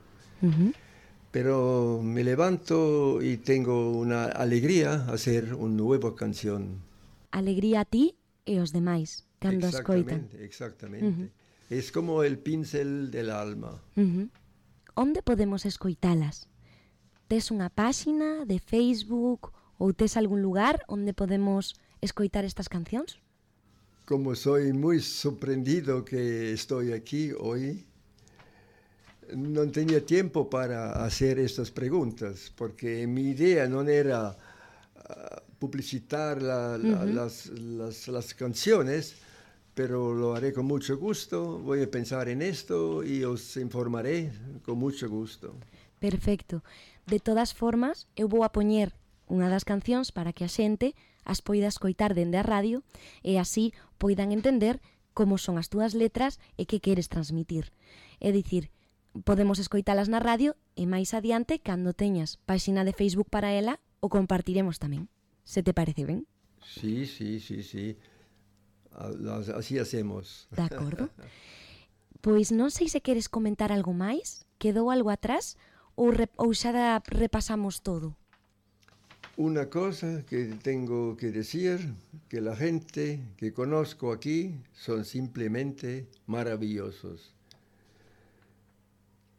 S11: pero me levanto y tengo una alegría hacer una nueva canción.
S2: Alegría a ti e os demais, cando escoitan.
S11: Exactamente. Es como el pincel del alma.
S2: Onde podemos escoitalas? Tes unha páxina de Facebook ou tes algún lugar onde podemos escoitar estas cancións?
S11: Como soy muy sorprendido que estoy aquí hoy, no tenía tiempo para hacer estas preguntas, porque mi idea no era publicitar las canciones, pero lo haré con mucho gusto. Voy a pensar en esto y os informaré con mucho gusto.
S2: Perfecto. De todas formas, eu vou a poñer unha das cancións para que a xente as poida escoitar dende a radio e así poidan entender como son as túas letras e que queres transmitir. É dicir, podemos escoitalas na radio e máis adiante, cando teñas páxina de Facebook para ela, o compartiremos tamén. Se te parece ben?
S11: Sí. Así hacemos.
S2: De acordo. Pois non sei se queres comentar algo máis, quedou algo atrás ou xa repasamos todo.
S11: Una cosa que tengo que decir, que la gente que conozco aquí son simplemente maravillosos.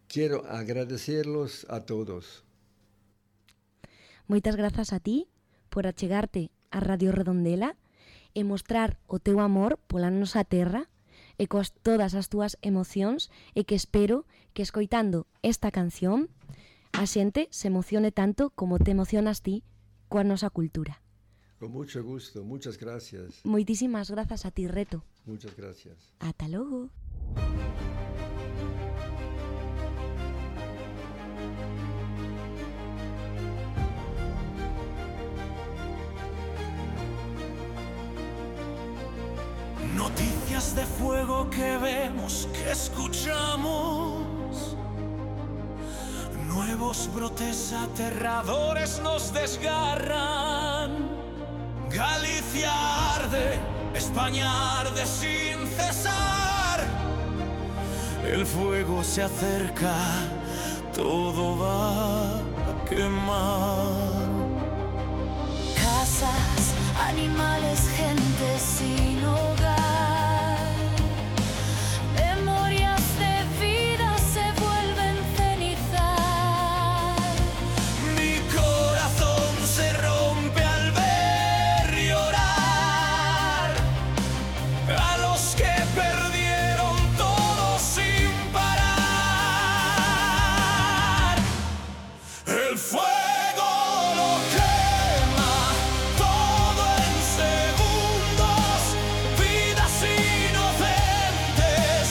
S11: Quiero agradecerlos a todos.
S2: Moitas grazas a ti por achegarte a Radio Redondela e mostrar o teu amor pola nosa terra e coas todas as túas emocións e que espero que escoitando esta canción a xente se emocione tanto como te emocionas ti coa nosa cultura.
S11: Con mucho gusto, muchas gracias.
S2: Moitísimas grazas a ti, Reto.
S11: Muchas gracias.
S2: Ata logo.
S9: Noticias de fuego que vemos, que escuchamos. Nuevos brotes aterradores nos desgarran. Galicia arde, España arde sin cesar. El fuego se acerca, todo va a quemar.
S12: Casas, animales, gente sin hogar. Memorias de vida se vuelven cenizar.
S9: Mi corazón se rompe al ver llorar a los que perdieron todo sin parar. El fuego lo quema todo en segundos, vidas inocentes,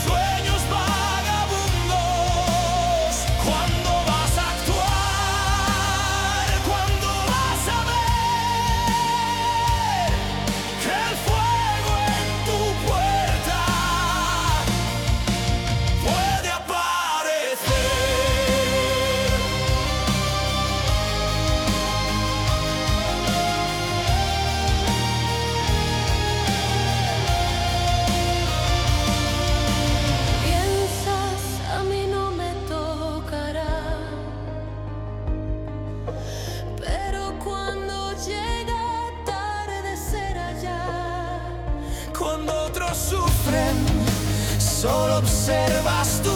S9: sueños vagabundos. ¿Cuándo vas a actuar? ¿Cuándo vas a ver que el fuego en tu puerta puede aparecer?
S12: Piensas, a mí no me tocará. Pero cuando llega atardecer allá,
S9: Cuando otros sufren, solo observas tú.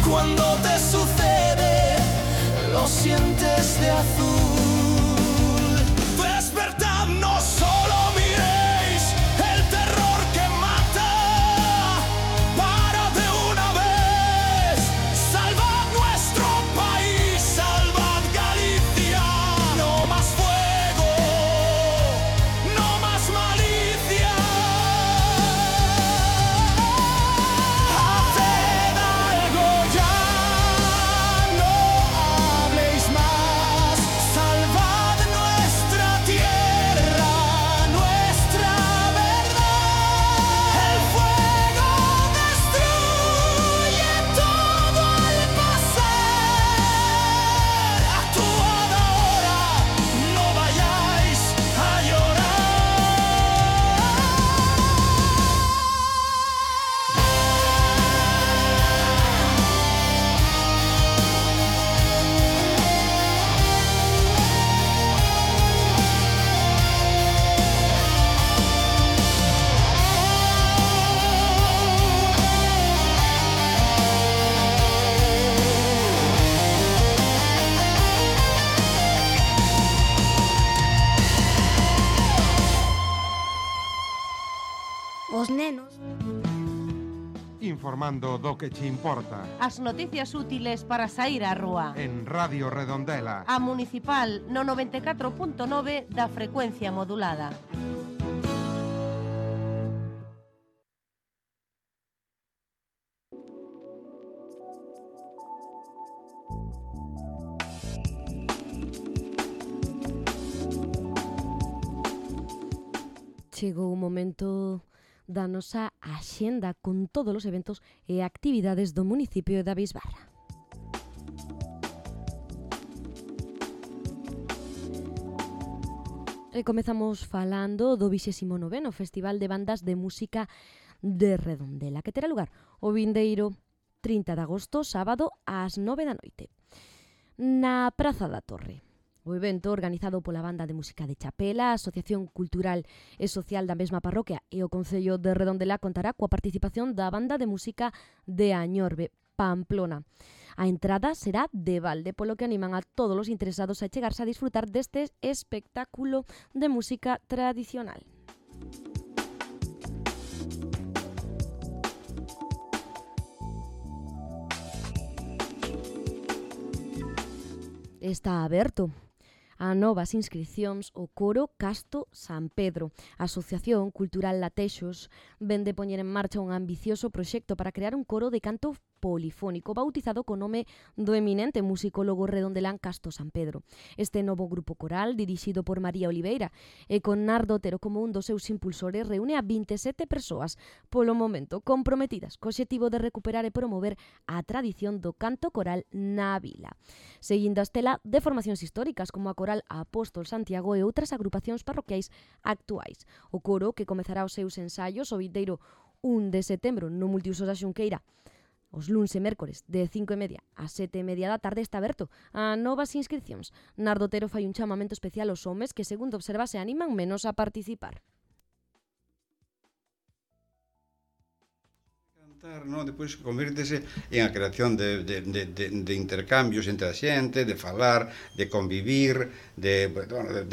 S9: Cuando te sucede, lo sientes de azul. Despertad, no solo miréis el terror que mata. Para de una vez, salvad nuestro país, salvad Galicia. No más fuego, no más malicia. Haced algo ya, no habléis más. Salvad nuestra tierra, nuestra verdad. El fuego destruye todo al pasar. Actuad ahora, no vayáis a
S3: Os nenos.
S4: Informando do que che importa.
S5: As noticias útiles para sair á rúa.
S4: En Radio Redondela.
S5: A Municipal no 94.9 da frecuencia modulada.
S2: Chegou o momento da nosa axenda con todos os eventos e actividades do municipio da Bisbarra. E comezamos falando do 29º Festival de Bandas de Música de Redondela, que terá lugar o vindeiro 30 de agosto, sábado, ás 9 da noite, na Praza da Torre. O evento, organizado pola Banda de Música de Chapela, a Asociación Cultural e Social da mesma parroquia e o Concello de Redondela, contará coa participación da Banda de Música de Añorbe, Pamplona. A entrada será de balde, polo que animan a todos os interesados a chegarse a disfrutar deste espectáculo de música tradicional. Está aberto a novas inscripcións o Coro Casto San Pedro. A Asociación Cultural Latexos vén de poñer en marcha un ambicioso proxecto para crear un coro de canto polifónico bautizado co nome do eminente musicólogo redondelán Casto San Pedro. Este novo grupo coral, dirixido por María Oliveira e con Nardo Otero como un dos seus impulsores, reúne a 27 persoas, polo momento comprometidas co obxectivo de recuperar e promover a tradición do canto coral na vila, seguindo a estela de formacións históricas como a Coral Apóstol Santiago e outras agrupacións parroquiais actuais. O coro, que comezará os seus ensaios o vindeiro 1 de setembro no Multiusos da Xunqueira, os luns e mércores de 5:30 a 7:30 da tarde, está aberto a novas inscripcións. Nardo Otero fai un chamamento especial aos homes que, segundo observa, se animan menos a participar.
S13: No? Depois convértese en a creación de intercambios entre a xente, de falar, de convivir, de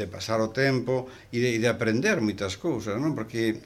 S13: pasar o tempo e de aprender moitas cousas, non? Porque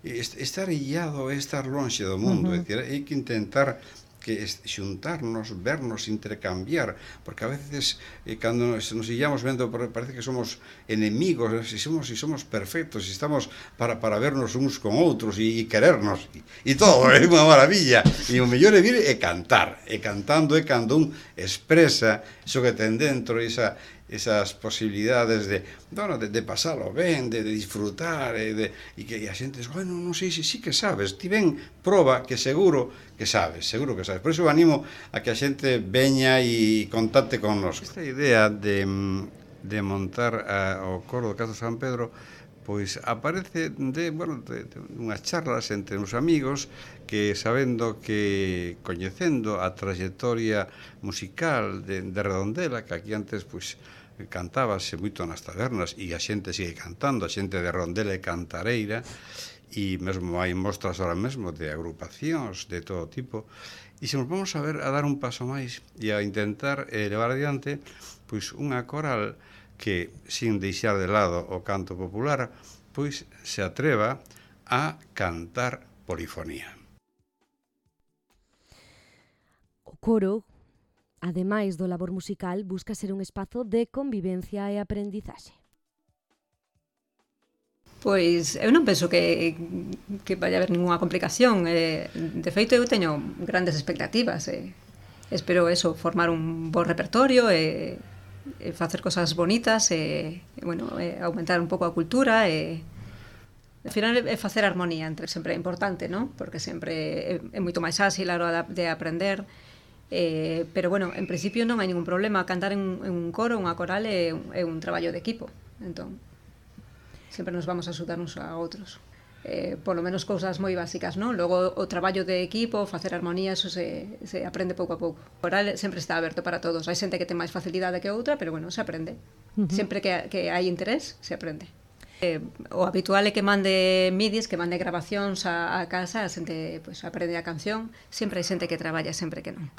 S13: estar illado é estar lonxe do mundo, é dicir, hai que intentar que xuntarnos, vernos, intercambiar, porque a veces cando nos illamos vendo parece que somos enemigos, se somos perfectos, se estamos para vernos uns con outros e querernos e todo, é unha maravilla. E o mellor é vir e cantar, e cantando é cando un expresa iso que ten dentro, esas posibilidades de pasalo ben, de disfrutar e que a xente dice, bueno, non sei se sí que sabes, ti ven, proba que seguro que sabes. Por iso animo a que a xente veña e contacte con nos. Esta idea de montar o coro do Casto San Pedro pois aparece de unhas charlas entre uns amigos que, sabendo que coñecendo a trayectoria musical de Redondela, que aquí antes pois cantábase moito nas tabernas e a xente sigue cantando, a xente de Redondela e cantareira, e mesmo hai mostras ahora mesmo de agrupacións de todo tipo, e se nos vamos a dar un paso máis e a intentar levar adiante pois unha coral que, sin deixar de lado o canto popular, pois se atreva a cantar polifonía.
S2: O coro, ademais do labor musical, busca ser un espazo de convivencia e aprendizaxe.
S14: Pois eu non penso que vai haber ninguna complicación. De feito, eu teño grandes expectativas. Espero formar un bo repertorio e facer cosas bonitas e aumentar un pouco a cultura e ao final é facer armonía entre, sempre é importante, non? Porque sempre é moito máis áxil a hora de aprender, pero en principio non hai ningún problema. Cantar en un coro, unha coral é un traballo de equipo, entón sempre nos vamos a axudar uns a outros, polo menos cousas moi básicas, non? Logo o traballo de equipo, facer armonía, eso se aprende pouco a pouco. O coral sempre está aberto para todos, hai xente que ten máis facilidade que outra, pero se aprende. Sempre que hai interés, se aprende. O habitual é que mande midis, que mande grabacións a casa, a xente aprende a canción, sempre hai xente que traballa, sempre que non.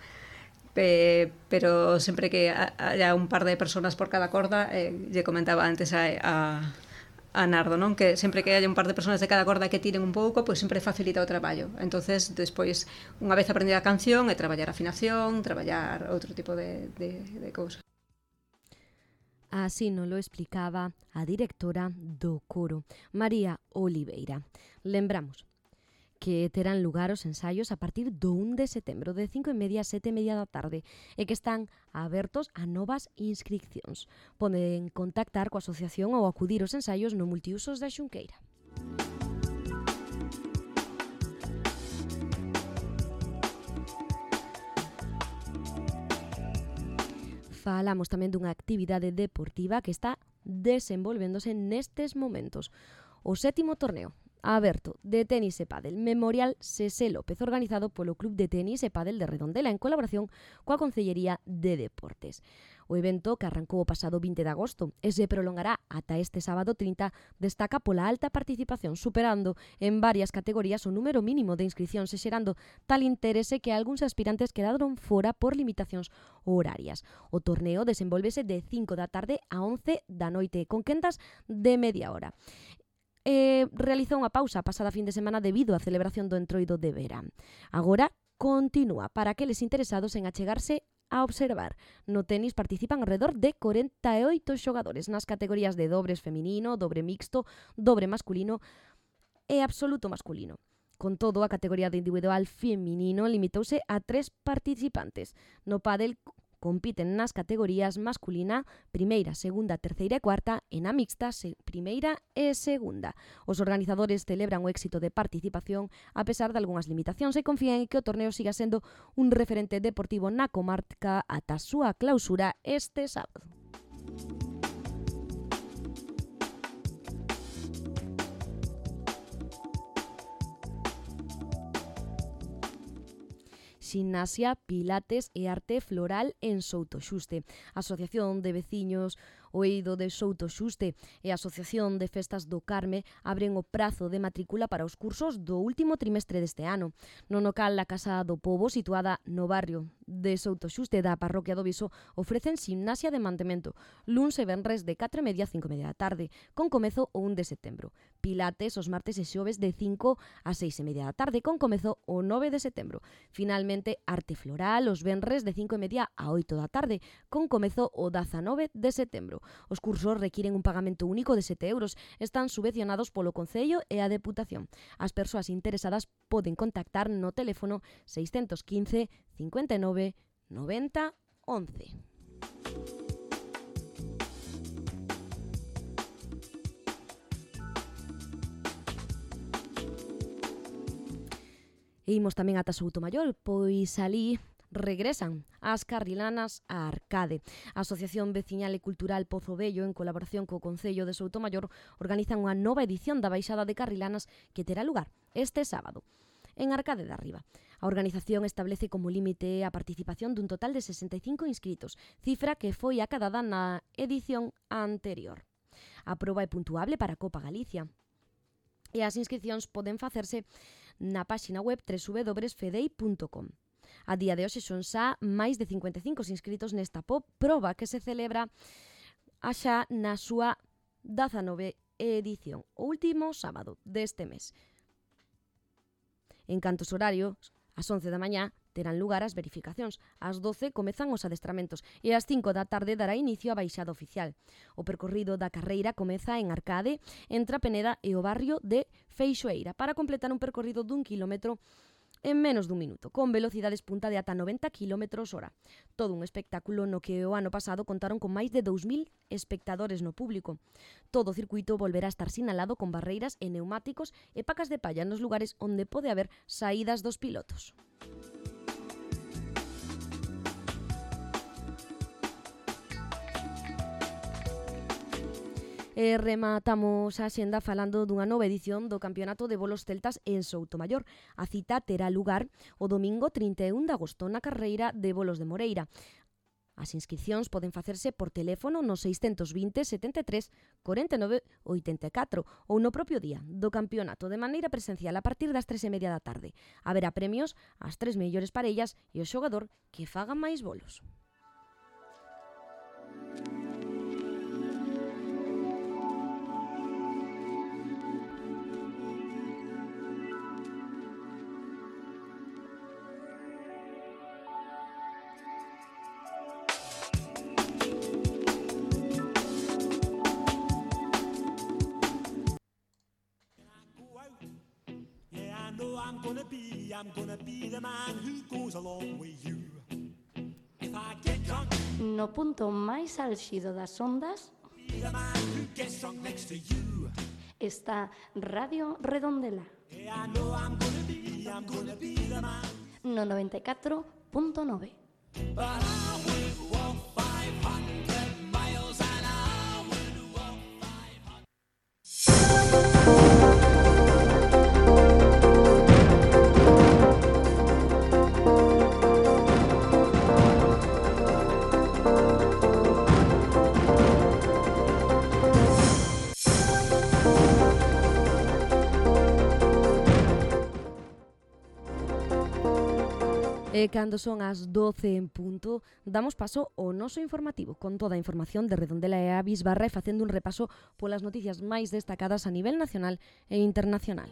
S14: Pero sempre que haya un par de personas por cada corda, lle comentaba antes a Nardo, non? Que sempre que haya un par de personas de cada corda que tiren un pouco, pois sempre facilita o traballo. Entonces, despois, unha vez aprendida a canción, é traballar afinación, traballar outro tipo de cousas.
S2: Así nos lo explicaba a directora do coro, María Oliveira. Lembramos que terán lugar os ensaios a partir do 1 de setembro de 5:30 a 7:30 da tarde e que están abertos a novas inscripcións. Poden contactar coa asociación ou acudir aos ensaios no Multiusos da Xunqueira. Falamos tamén dunha actividade deportiva que está desenvolvéndose nestes momentos. O 7º torneo aberto de tenis e pádel Memorial Sese López, organizado polo Club de Tenis e Pádel de Redondela en colaboración coa Concellería de Deportes. O evento, que arrancou o pasado 20 de agosto e se prolongará ata este sábado 30, destaca pola alta participación, superando en varias categorías o número mínimo de inscripcións e xerando tal interese que algúns aspirantes quedaron fora por limitacións horarias. O torneo desenvolvese de 5 da tarde a 11 da noite, con quendas de media hora. Realizou unha pausa a pasada fin de semana debido á celebración do Entroido de verán. Agora continúa para aqueles interesados en achegarse a observar. No tenis participan alrededor de 48 xogadores nas categorías de dobres feminino, dobre mixto, dobre masculino e absoluto masculino. Con todo, a categoría de individual feminino limitouse a 3 participantes. No pádel compiten nas categorías masculina, primeira, segunda, terceira e cuarta, e na mixta, primeira e segunda. Os organizadores celebran o éxito de participación a pesar de algunhas limitacións e confían en que o torneo siga sendo un referente deportivo na comarca ata a súa clausura este sábado. Ximnasia, Pilates e Arte Floral en Soutoxuste. A Asociación de Veciños o Eido de Soutoxuste e a Asociación de Festas do Carme abren o prazo de matrícula para os cursos do último trimestre deste ano. No local da Casa do Pobo, situada no barrio de Soutoxuste da Parroquia do Viso, ofrecen ximnasia de mantemento, luns e venres de 4:30 a 5:30 da tarde, con comezo o 1 de setembro. Pilates os martes e xoves de 5 a 6:30 da tarde, con comezo o 9 de setembro. Finalmente, Arte Floral os venres de 5:30 a 8 da tarde, con comezo o 19 de setembro. Os cursos requiren un pagamento único de 7 euros, están subvencionados polo Concello e a Deputación. As persoas interesadas poden contactar no teléfono 615 59 90 11. E imos tamén ata Soutomaior, pois alí regresan as carrilanas a Arcade. A Asociación Veciñal e Cultural Pozo Vello, en colaboración co Concello de Soutomaior, organizan unha nova edición da Baixada de Carrilanas que terá lugar este sábado en Arcade de Arriba. A organización establece como límite a participación dun total de 65 inscritos, cifra que foi acadada na edición anterior. A proba é puntuable para a Copa Galicia e as inscripcións poden facerse na páxina web www.fedei.com. A día de hoxe son xa máis de 55 inscritos nesta proba que se celebra xa na súa 19 edición, o último sábado deste mes. En canto aos horarios, ás 11 da mañá terán lugar as verificacións. Ás 12 comezan os adestramentos e ás 5 da tarde dará inicio a baixada oficial. O percorrido da carreira comeza en Arcade, entre a Peneda e o barrio de Feixoeira, para completar un percorrido dun kilómetro en menos dun minuto, con velocidades punta de ata 90 km/h. Todo un espectáculo no que o ano pasado contaron con máis de 2.000 espectadores no público. Todo o circuito volverá a estar sinalado con barreiras e neumáticos e pacas de palla nos lugares onde pode haber saídas dos pilotos. E rematamos a xenda falando dunha nova edición do Campeonato de Bolos Celtas en Soutomaior. A cita terá lugar o domingo 31 de agosto na carreira de Bolos de Moreira. As inscripcións poden facerse por teléfono no 620 73 49 84 ou no propio día do campeonato de maneira presencial a partir das 3:30 da tarde. Haberá premios ás 3 mellores parellas e o xogador que faga máis bolos.
S9: I'm gonna be the man who goes along with you. If I get drunk,
S3: no punto máis álxido das ondas
S9: be the man who gets drunk next to you.
S3: Está Radio Redondela.
S9: Yeah, I know I'm gonna be the man.
S3: No 94.9.
S9: But I would walk 500 miles and I would walk 500.
S2: E cando son as 12 en punto, damos paso ao noso informativo, con toda a información de Redondela e a Bisbarra e facendo un repaso polas noticias máis destacadas a nivel nacional e internacional.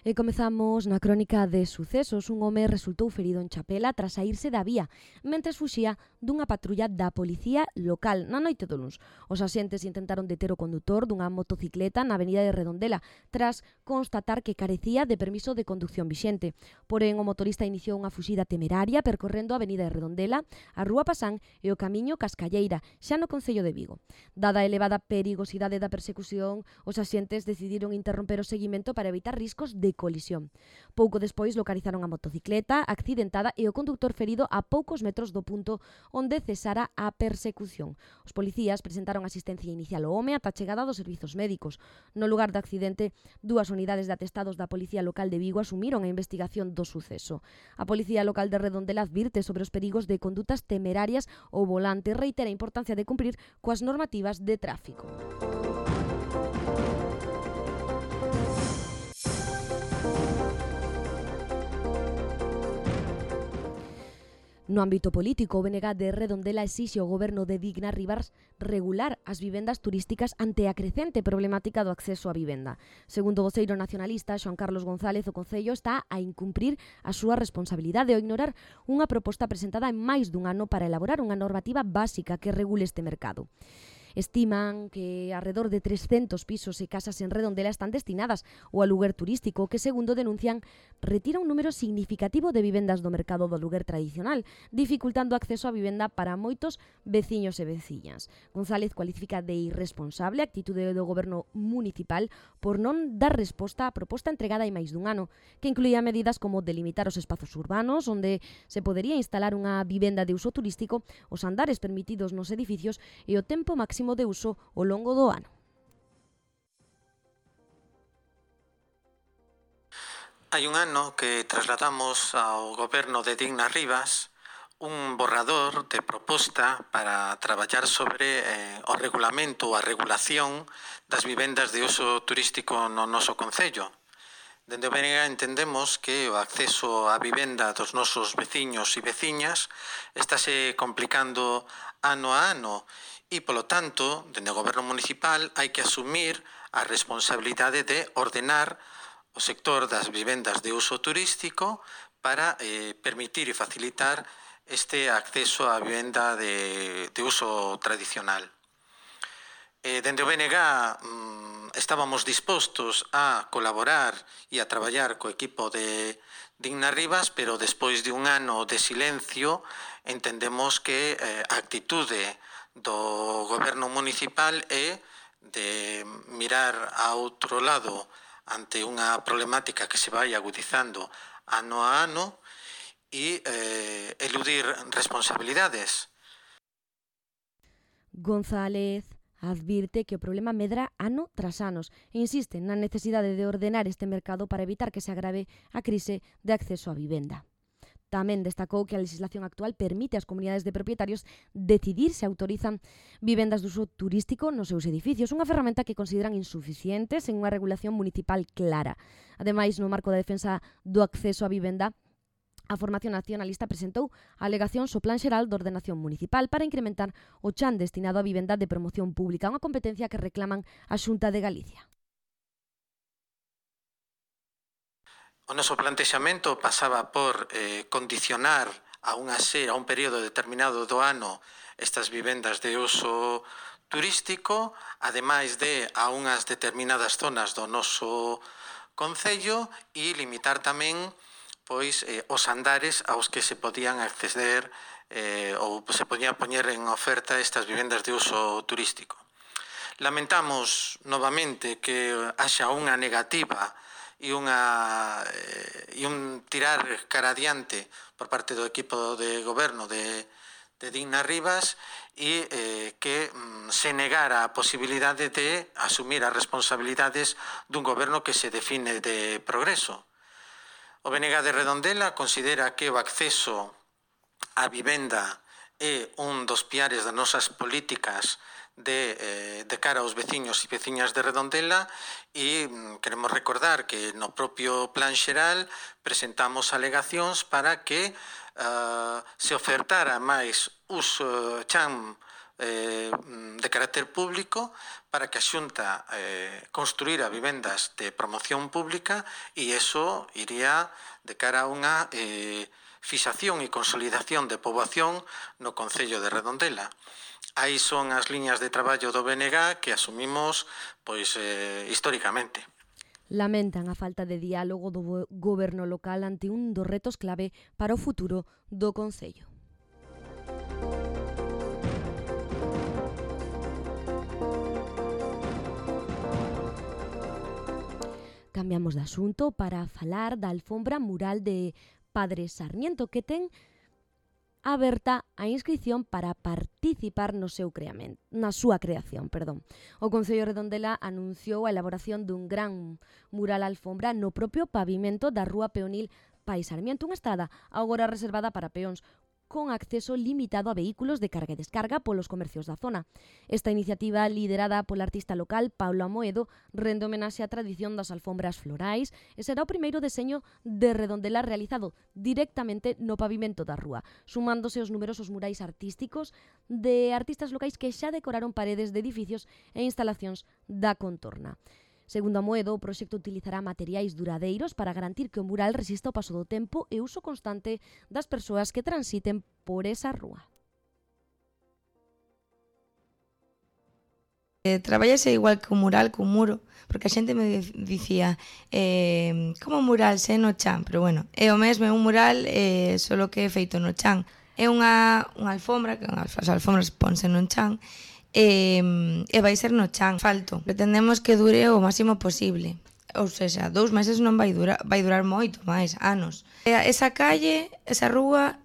S2: E comezamos na crónica de sucesos. Un home resultou ferido en Chapela tras saírse da vía, mentres fuxía dunha patrulla da policía local na noite do luns. Os axentes intentaron deter o condutor dunha motocicleta na avenida de Redondela, tras constatar que carecía de permiso de conducción vixente. Porén, o motorista iniciou unha fuxida temeraria percorrendo a avenida de Redondela, a Rúa Pasán e o camiño Cascalleira, xa no concello de Vigo. Dada a elevada perigosidade da persecución, os axentes decidiron interromper o seguimento para evitar riscos de colisión. Pouco despois localizaron a motocicleta accidentada e o conductor ferido a poucos metros do punto onde cesara a persecución. Os policías presentaron asistencia inicial ao home ata a chegada dos servizos médicos. No lugar do accidente, 2 unidades de atestados da Policía Local de Vigo asumiron a investigación do suceso. A Policía Local de Redondela advirte sobre os perigos de condutas temerarias ao volante e reitera a importancia de cumprir coas normativas de tráfico. No ámbito político, o BNG de Redondela exixe ao goberno de Digna Rivas regular as vivendas turísticas ante a crecente problemática do acceso á vivenda. Segundo o voceiro nacionalista, Xoan Carlos González, o Concello está a incumprir a súa responsabilidade ao ignorar unha proposta presentada en máis dun ano para elaborar unha normativa básica que regule este mercado. Estiman que alrededor de 300 pisos e casas en Redondela están destinadas ao aluguer turístico, que, segundo denuncian, retira un número significativo de vivendas do mercado do aluguer tradicional, dificultando o acceso á vivenda para moitos veciños e veciñas. González cualifica de irresponsable a actitude do goberno municipal por non dar resposta á proposta entregada hai máis dun ano, que incluía medidas como delimitar os espazos urbanos onde se podería instalar unha vivenda de uso turístico, os andares permitidos nos edificios e o tempo máximo de uso ao longo do ano.
S15: Hai un ano que trasladamos ao goberno de Digna Rivas un borrador de proposta para traballar sobre o regulamento ou a regulación das vivendas de uso turístico no noso concello. Dende o BNG entendemos que o acceso á vivenda dos nosos veciños e veciñas estáse complicando ano a ano e, polo tanto, dende o goberno municipal hai que asumir a responsabilidade de ordenar o sector das vivendas de uso turístico para permitir e facilitar este acceso á vivenda de uso tradicional. Dende o BNG estábamos dispostos a colaborar e a traballar co equipo de Digna Rivas, pero despois de un ano de silencio entendemos que a actitude do goberno municipal é de mirar a outro lado ante unha problemática que se vai agudizando ano a ano e eludir responsabilidades.
S2: González advirte que o problema medra ano tras anos e insiste na necesidade de ordenar este mercado para evitar que se agrave a crise de acceso á vivenda. Tamén destacou que a legislación actual permite ás comunidades de propietarios decidir se autorizan vivendas de uso turístico nos seus edificios, unha ferramenta que consideran insuficiente sen unha regulación municipal clara. Ademais, no marco da defensa do acceso á vivenda, a Formación Nacionalista presentou alegacións ao Plan Xeral de Ordenación Municipal para incrementar o chan destinado á vivenda de promoción pública, unha competencia que reclaman a Xunta de Galicia.
S15: O noso plantexamento pasaba por condicionar a un período determinado do ano estas vivendas de uso turístico, ademais de a unhas determinadas zonas do noso concello e limitar tamén os andares aos que se podían acceder ou se podían poñer en oferta estas vivendas de uso turístico. Lamentamos novamente que haxa unha negativa e un tirar cara adiante por parte do equipo de goberno de Digna Rivas e que se negara a posibilidade de asumir as responsabilidades dun goberno que se define de progreso. O BNG de Redondela considera que o acceso á vivenda é un dos piares das nosas políticas de cara aos veciños e veciñas de Redondela e queremos recordar que no propio Plan Xeral presentamos alegacións para que se ofertara máis chan de carácter público para que a Xunta construíra vivendas de promoción pública e eso iría de cara a unha fixación e consolidación de poboación no Concello de Redondela. Aí son as liñas de traballo do BNG que asumimos históricamente.
S2: Lamentan a falta de diálogo do goberno local ante un dos retos clave para o futuro do Concello. Cambiamos de asunto para falar da alfombra mural de Padre Sarmiento, que ten aberta a inscrición para participar na súa creación. O Concello de Redondela anunciou a elaboración dun gran mural alfombra no propio pavimento da Rúa Peonil Pai Sarmiento, unha estrada agora reservada para peóns, con acceso limitado a vehículos de carga e descarga polos comercios da zona. Esta iniciativa, liderada pola artista local Paulo Amoedo, rende homenaxe á tradición das alfombras florais e será o primeiro deseño de Redondela realizado directamente no pavimento da rúa, sumándose os numerosos murais artísticos de artistas locais que xa decoraron paredes de edificios e instalacións da contorna. Segundo Amoedo, o proxecto utilizará materiais duradeiros para garantir que o mural resista o paso do tempo e uso constante das persoas que transiten por esa rúa.
S16: Traballase igual que o mural, que o muro, porque a xente me dicía como mural se no chan, pero bueno, é o mesmo, é un mural solo que é feito no chan. É unha alfombra, que as alfombras ponse no chan, e vai ser no chan, falto. Pretendemos que dure o máximo posible. Ou seja, 2 meses non vai durar moito máis, anos. Esa calle, esa rúa,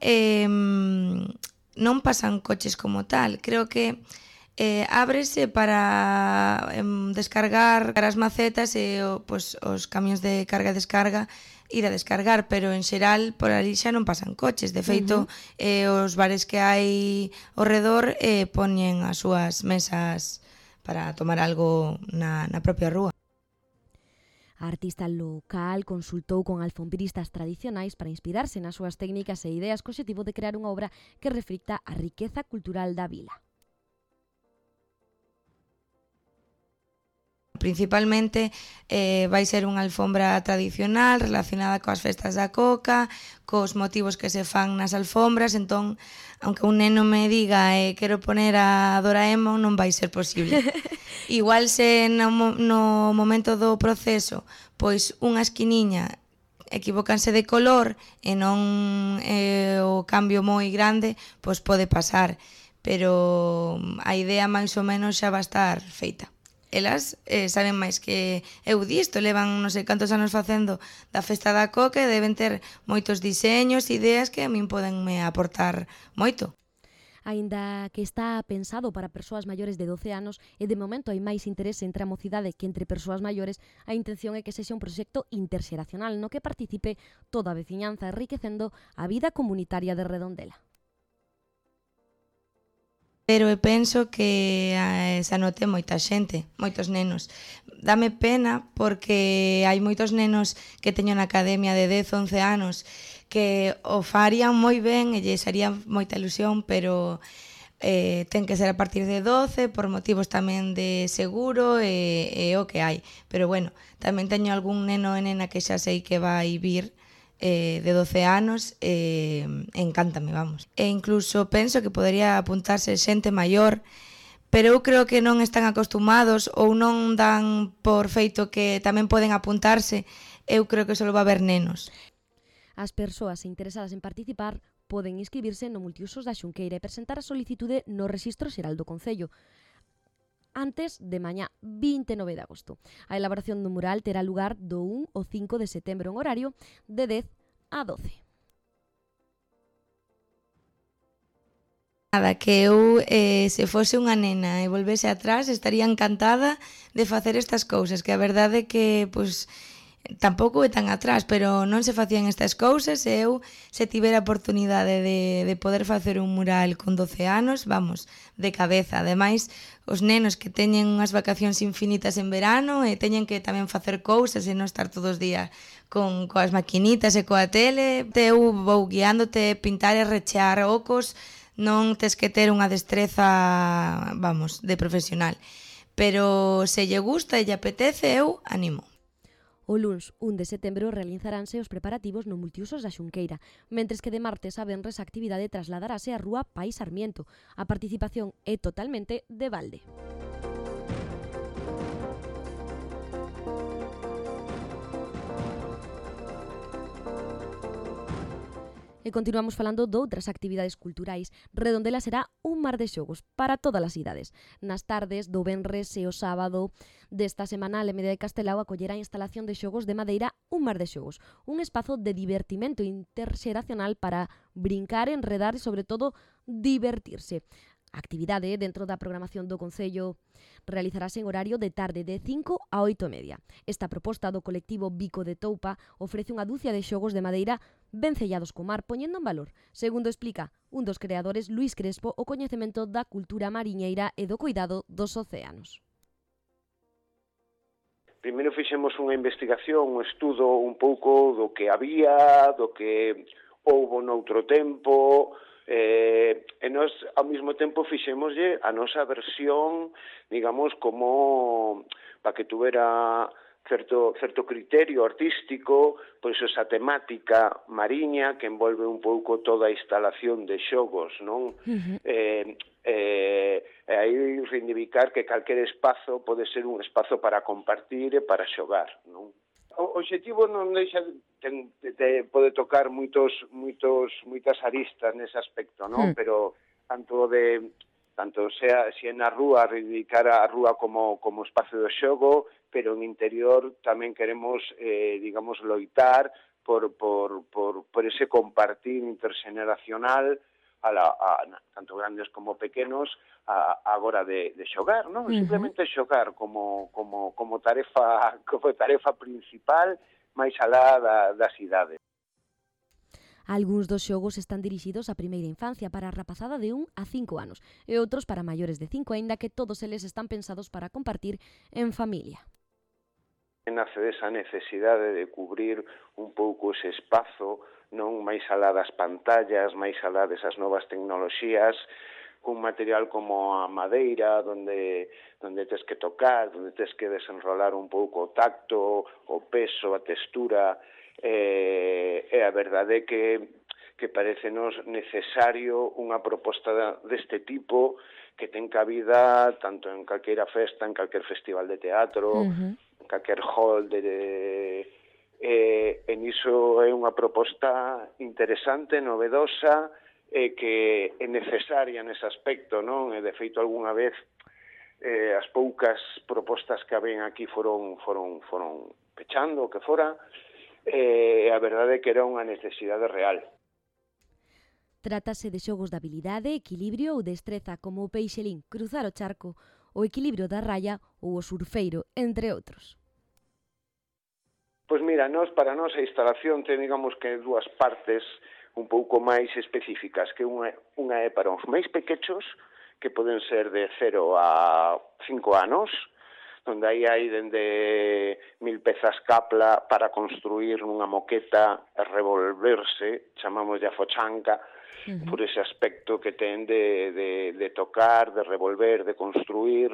S16: non pasan coches como tal. Creo que ábrese para descargar as macetas e os camións de carga e descarga ir a descargar, pero en xeral por ali xa non pasan coches. De feito, os bares que hai ao redor poñen as súas mesas para tomar algo na propia rúa.
S2: A artista local consultou con alfombristas tradicionais para inspirarse nas súas técnicas e ideas co obxectivo de crear unha obra que reflicta a riqueza cultural da vila.
S16: Principalmente vai ser unha alfombra tradicional relacionada coas festas da coca, cos motivos que se fan nas alfombras, entón, aunque un neno me diga quero poner a Doraemon, non vai ser posible. Igual se no momento do proceso, pois unha esquiniña equivócanse de color e non o cambio moi grande, pois pode pasar, pero a idea máis ou menos xa vai estar feita. Elas saben máis que eu disto, levan non sei cantos anos facendo da festa da coca e deben ter moitos diseños, ideas que a min podenme aportar moito.
S2: Aínda que está pensado para persoas maiores de 12 anos e de momento hai máis interese entre a mocidade que entre persoas maiores, a intención é que sexa un proxecto interxeracional no que participe toda a veciñanza, enriquecendo a vida comunitaria de Redondela.
S16: Pero eu penso que se anote moita xente, moitos nenos. Dame pena porque hai moitos nenos que teño na academia de 10, 11 anos que o farían moi ben e lles haría moita ilusión, pero ten que ser a partir de 12 por motivos tamén de seguro e o que hai. Pero bueno, tamén teño algún neno e nena que xa sei que vai vir de 12 anos, encántame, vamos. E incluso penso que podería apuntarse xente maior, pero eu creo que non están acostumados ou non dan por feito que tamén poden apuntarse. Eu creo que só va haber nenos.
S2: As persoas interesadas en participar poden inscribirse no Multiusos da Xunqueira e presentar a solicitude no Rexistro Xeral do Concello antes de mañá 29 de agosto. A elaboración do mural terá lugar do 1 ao 5 de setembro en horario de 10 a 12.
S16: Nada, que eu, se fose unha nena e volvese atrás, estaría encantada de facer estas cousas, que a verdade é que, pois, tampouco é tan atrás, pero non se facían estas cousas e eu, se tivera a oportunidade de poder facer un mural con 12 anos, vamos, de cabeza. Ademais, os nenos que teñen unhas vacacións infinitas en verano e teñen que tamén facer cousas e non estar todos os días coas maquinitas e coa tele, eu vou guiándote, pintar e rechear ocos Non tes que ter unha destreza, vamos, de profesional. Pero se lle gusta e lle apetece, eu animo.
S2: O luns 1 de setembro realizaránse os preparativos no multiusos da Xunqueira, mentres que de martes a venres a actividade trasladarase á Rúa Pai Sarmiento. A participación é totalmente de balde. E continuamos falando doutras actividades culturais. Redondela será un mar de xogos para todas as idades. Nas tardes do venres e o sábado desta semana, a Alameda de Castelao acollerá a instalación de xogos de madeira Un mar de xogos, un espazo de divertimento interxeracional para brincar, enredar e, sobre todo, divertirse. A actividade dentro da programación do Concello realizarase en horario de tarde de 5 a 8:30. Esta proposta do colectivo Bico de Toupa ofrece unha dúcia de xogos de madeira ben sellados co mar, poñendo en valor, segundo explica un dos creadores, Luís Crespo, o coñecemento da cultura mariñeira e do cuidado dos océanos.
S17: Primeiro fixemos unha investigación, un estudo un pouco do que había, do que houbo noutro tempo, e nós ao mesmo tempo fixémoslle a nosa versión, digamos, como para que tuvera certo criterio artístico, pois esa temática mariña que envolve un pouco toda a instalación de xogos, non? Aí reivindicar que calquer espazo pode ser un espazo para compartir e para xogar, non? O obxectivo non deixa pode tocar moitas aristas nese aspecto, non? Pero tanto sea se na rúa, reivindicar a rúa como espacio de xogo, pero en interior tamén queremos, digamos, loitar por ese compartir interxeneracional tanto grandes como pequenos agora de xogar, non? Simplemente xogar como tarefa principal máis alá das idades.
S2: Algúns dos xogos están dirixidos á primeira infancia para a rapazada de 1 a 5 anos e outros para maiores de 5, aínda que todos eles están pensados para compartir en familia.
S17: Nace desa necesidade de cubrir un pouco ese espazo, non máis alá das pantallas, máis alá desas novas tecnoloxías, cun material como a madeira, onde tes que tocar, onde tes que desenrolar un pouco o tacto, o peso, a textura, e a verdade é que parecenos necesario unha proposta deste tipo que ten cabida tanto en calquera festa, en calquer festival de teatro, en calquer hall e niso é unha proposta interesante, novedosa e que é necesaria nese aspecto, non? E de feito algunha vez as poucas propostas que habían aquí foron pechando o que fora, e a verdade é que era unha necesidade real.
S2: Trátase de xogos de habilidade, equilibrio ou destreza como o peixelín, cruzar o charco, o equilibrio da raya ou o surfeiro, entre outros.
S17: Pois mira, para nós a instalación ten, digamos, que dúas partes un pouco máis específicas, que unha é para os máis pequechos, que poden ser de 0 a 5 anos, onde aí hai dende 1000 pezas capla para construir nunha moqueta e revolverse, chamamos de afochanca, por ese aspecto que ten de tocar, de revolver, de construir,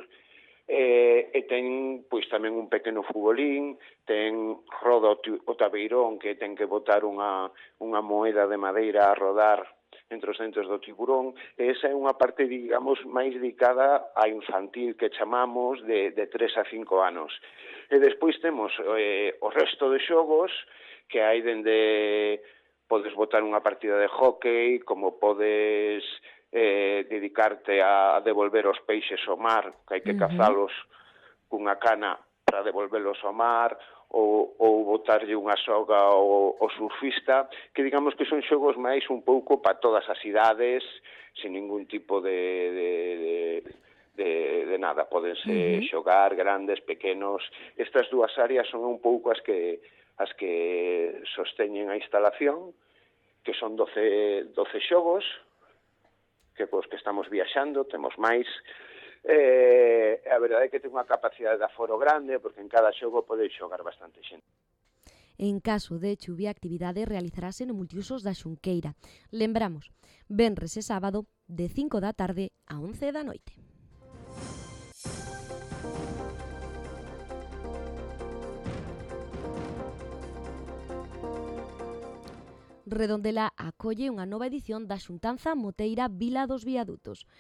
S17: e ten pois tamén un pequeno futbolín, ten roda o tabeirón que ten que botar unha moeda de madeira a rodar entre os dentes do tiburón, e esa é unha parte, digamos, máis dedicada a infantil que chamamos de 3 a 5 anos. E despois temos o resto de xogos que hai dende podes botar unha partida de hóquei, como podes dedicarte a devolver os peixes ao mar, que hai que cazalos cunha cana para devolverlos ao mar, ou botarlle unha soga ao surfista, que digamos que son xogos máis un pouco para todas as idades, sin ningún tipo de nada. Podense xogar grandes, pequenos. Estas dúas áreas son un pouco as que sosteñen a instalación, que son 12 xogos, que cos que estamos viaxando, temos máis. A verdade é que ten unha capacidade de aforo grande, porque en cada xogo pode xogar bastante xente.
S2: En caso de chuvia, a actividade realizarase no multiusos da Xunqueira. Lembramos, venres e sábado, de 5 da tarde a 11 da noite. Redondela acolle unha nova edición da xuntanza moteira Vila dos Viadutos.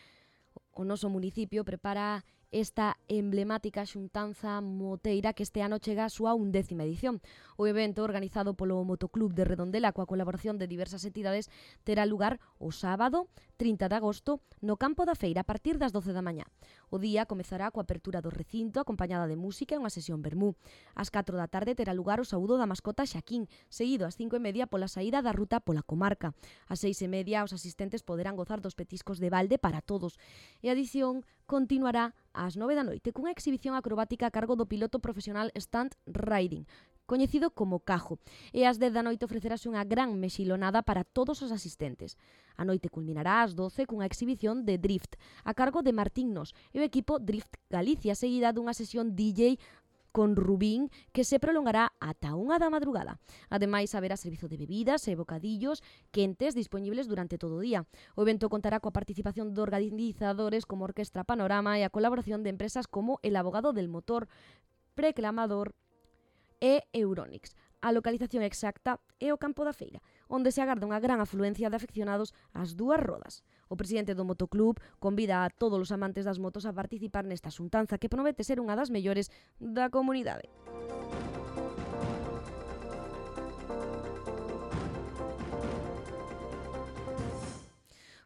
S2: O noso municipio prepara esta emblemática xuntanza moteira que este ano chega a súa 11ª edición. O evento, organizado polo Motoclub de Redondela coa colaboración de diversas entidades, terá lugar o sábado 30 de agosto no campo da feira a partir das 12 da mañá. O día comezará coa apertura do recinto acompañada de música e unha sesión vermú. Ás 4 da tarde terá lugar o saúdo da mascota Xaquín, seguido ás 5:30 pola saída da ruta pola comarca. Ás 6:30 os asistentes poderán gozar dos petiscos de balde para todos. E a edición continuará ás 9 da noite cunha exhibición acrobática a cargo do piloto profesional Stunt Riding, coñecido como Cajo, e ás 10 da noite ofrecerase unha gran mexilonada para todos os asistentes. A noite culminará ás 12 cunha exhibición de drift a cargo de Martín Nos e o equipo Drift Galicia, seguida dunha sesión DJ con Rubín que se prolongará ata 1 da madrugada. Ademais, haberá servizo de bebidas e bocadillos quentes dispoñibles durante todo o día. O evento contará coa participación de organizadores como Orquestra Panorama e a colaboración de empresas como El Abogado del Motor, Preclamador e Euronics. A localización exacta é o campo da feira, onde se agarda unha gran afluencia de afeccionados ás dúas rodas. O presidente do Motoclub convida a todos os amantes das motos a participar nesta xuntanza que promete ser unha das mellores da comunidade.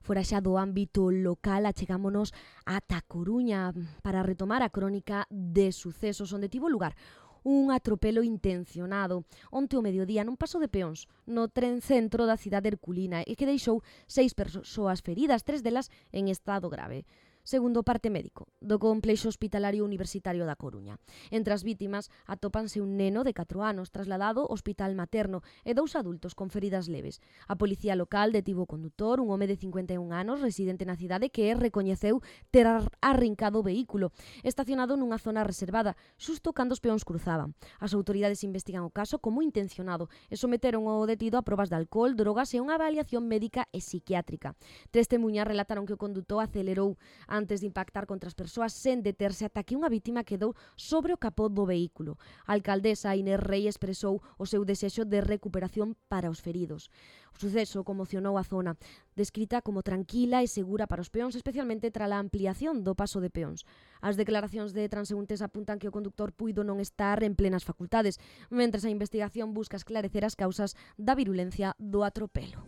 S2: Fora xa do ámbito local, achegámonos ata Coruña para retomar a crónica de sucesos onde tivo lugar un atropelo intencionado onte ao mediodía nun paso de peóns no tren centro da cidade herculina e que deixou 6 persoas feridas, 3 delas en estado grave, segundo o parte médico do Complexo Hospitalario Universitario da Coruña. Entre as vítimas atópanse un neno de 4 anos trasladado ao hospital materno e 2 adultos con feridas leves. A policía local detivo o condutor, un home de 51 anos residente na cidade que recoñeceu ter arrincado o vehículo estacionado nunha zona reservada xusto cando os peóns cruzaban. As autoridades investigan o caso como intencionado e someteron o detido a probas de alcohol, drogas e unha avaliación médica e psiquiátrica. Testemuñas relataron que o condutor acelerou antes de impactar contra as persoas sen deterse ata que unha vítima quedou sobre o capó do vehículo. A alcaldesa Inés Rei expresou o seu desexo de recuperación para os feridos. O suceso conmocionou a zona, descrita como tranquila e segura para os peóns, especialmente tras a ampliación do paso de peóns. As declaracións de transeúntes apuntan que o conductor puido non estar en plenas facultades, mentres a investigación busca esclarecer as causas da virulencia do atropelo.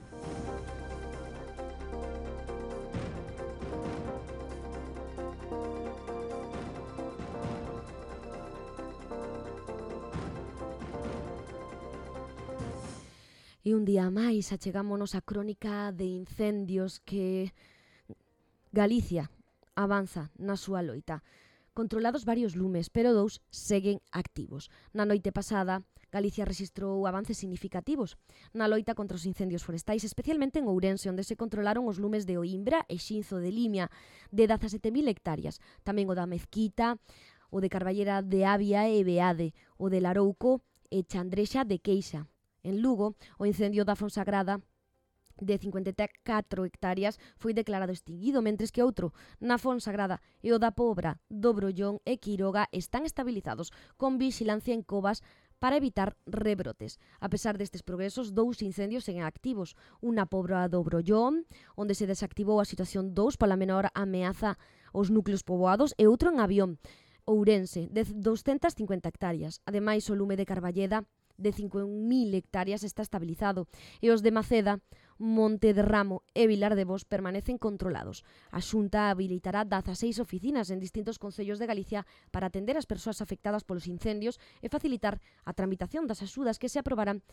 S2: E un día máis achegámonos a crónica de incendios que Galicia avanza na súa loita. Controlados varios lumes, pero 2 seguen activos. Na noite pasada, Galicia rexistrou avances significativos na loita contra os incendios forestais, especialmente en Ourense, onde se controlaron os lumes de Oimbra e Xinzo de Limia, de 17.000 hectáreas. Tamén o da Mezquita, o de Carballera de Avia e Beade, o de Larouco e Chandrexa de Queixa. En Lugo, o incendio da Fonsagrada de 54 hectáreas foi declarado extinguido, mentres que outro na Fonsagrada e o da Pobra, do Brollón e Quiroga están estabilizados con vixilancia en covas para evitar rebrotes. A pesar destes progresos, 2 incendios seguen activos. Unha Pobra do Brollón, onde se desactivou a situación 2 pola menor ameaza aos núcleos poboados, e outro en Avión, Ourense, de 250 hectáreas. Ademais, o lume de Carballeda, de 5.000 hectáreas, está estabilizado, e os de Maceda, Monte de Ramo e Vilar de Vos permanecen controlados. A Xunta habilitará 16 oficinas en distintos concellos de Galicia para atender as persoas afectadas polos incendios e facilitar a tramitación das axudas que se aprobarán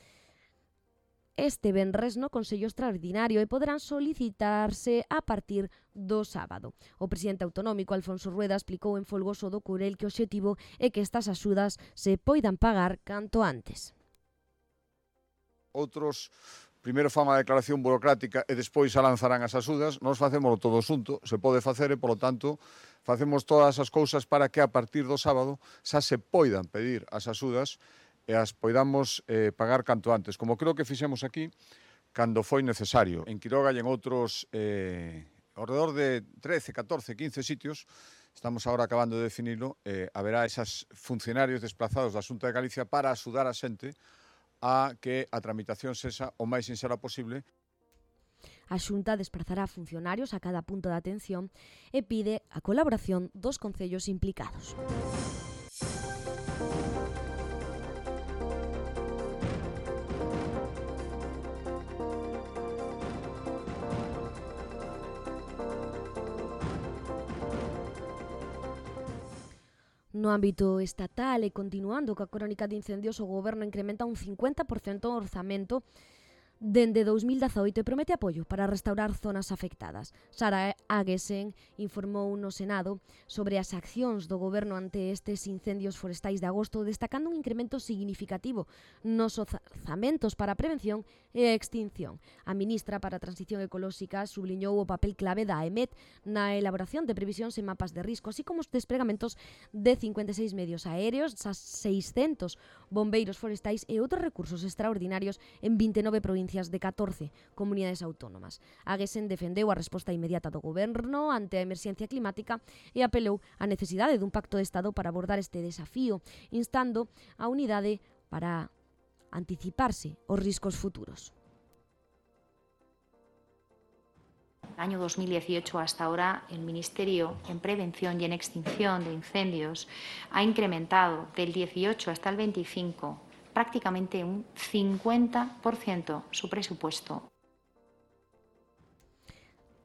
S2: este venres no Consello Extraordinario e poderán solicitarse a partir do sábado. O presidente autonómico Alfonso Rueda explicou en Folgoso do Courel que o obxectivo é que estas axudas se poidan pagar canto antes.
S18: Outros primeiro fan a declaración burocrática e despois a lanzarán as axudas, nós facémoslo todo xunto, se pode facer e, polo tanto, facemos todas as cousas para que a partir do sábado xa se poidan pedir as axudas e as poidamos pagar canto antes, como creo que fixemos aquí cando foi necesario. En Quiroga e en outros alrededor de 13, 14, 15 sitios, estamos agora acabando de definirlo, haberá esas funcionarios desplazados da Xunta de Galicia para axudar a xente a que a tramitación sexa o máis sinxela posible.
S2: A Xunta desplazará funcionarios a cada punto de atención e pide a colaboración dos concellos implicados. No ámbito estatal e continuando coa crónica de incendios, o Goberno incrementa un 50% o orzamento dende 2018 e promete apoio para restaurar zonas afectadas. Sara Aguesen informou no Senado sobre as accións do Goberno ante estes incendios forestais de agosto, destacando un incremento significativo nos orzamentos para a prevención e a extinción. A ministra para a Transición Ecolóxica subliñou o papel clave da AEMET na elaboración de previsións e mapas de risco, así como os desplegamentos de 56 medios aéreos, 600 bombeiros forestais e outros recursos extraordinarios en 29 provincias de 14 comunidades autónomas. Aguesen defendeu a resposta inmediata do Goberno ante a emerxencia climática e apelou á necesidade dun pacto de Estado para abordar este desafío, instando a unidade para anticiparse aos riscos futuros.
S19: Año 2018 hasta ahora, el Ministerio en Prevención y en Extinción de Incendios ha incrementado del 18 hasta el 25 prácticamente un 50% su presupuesto.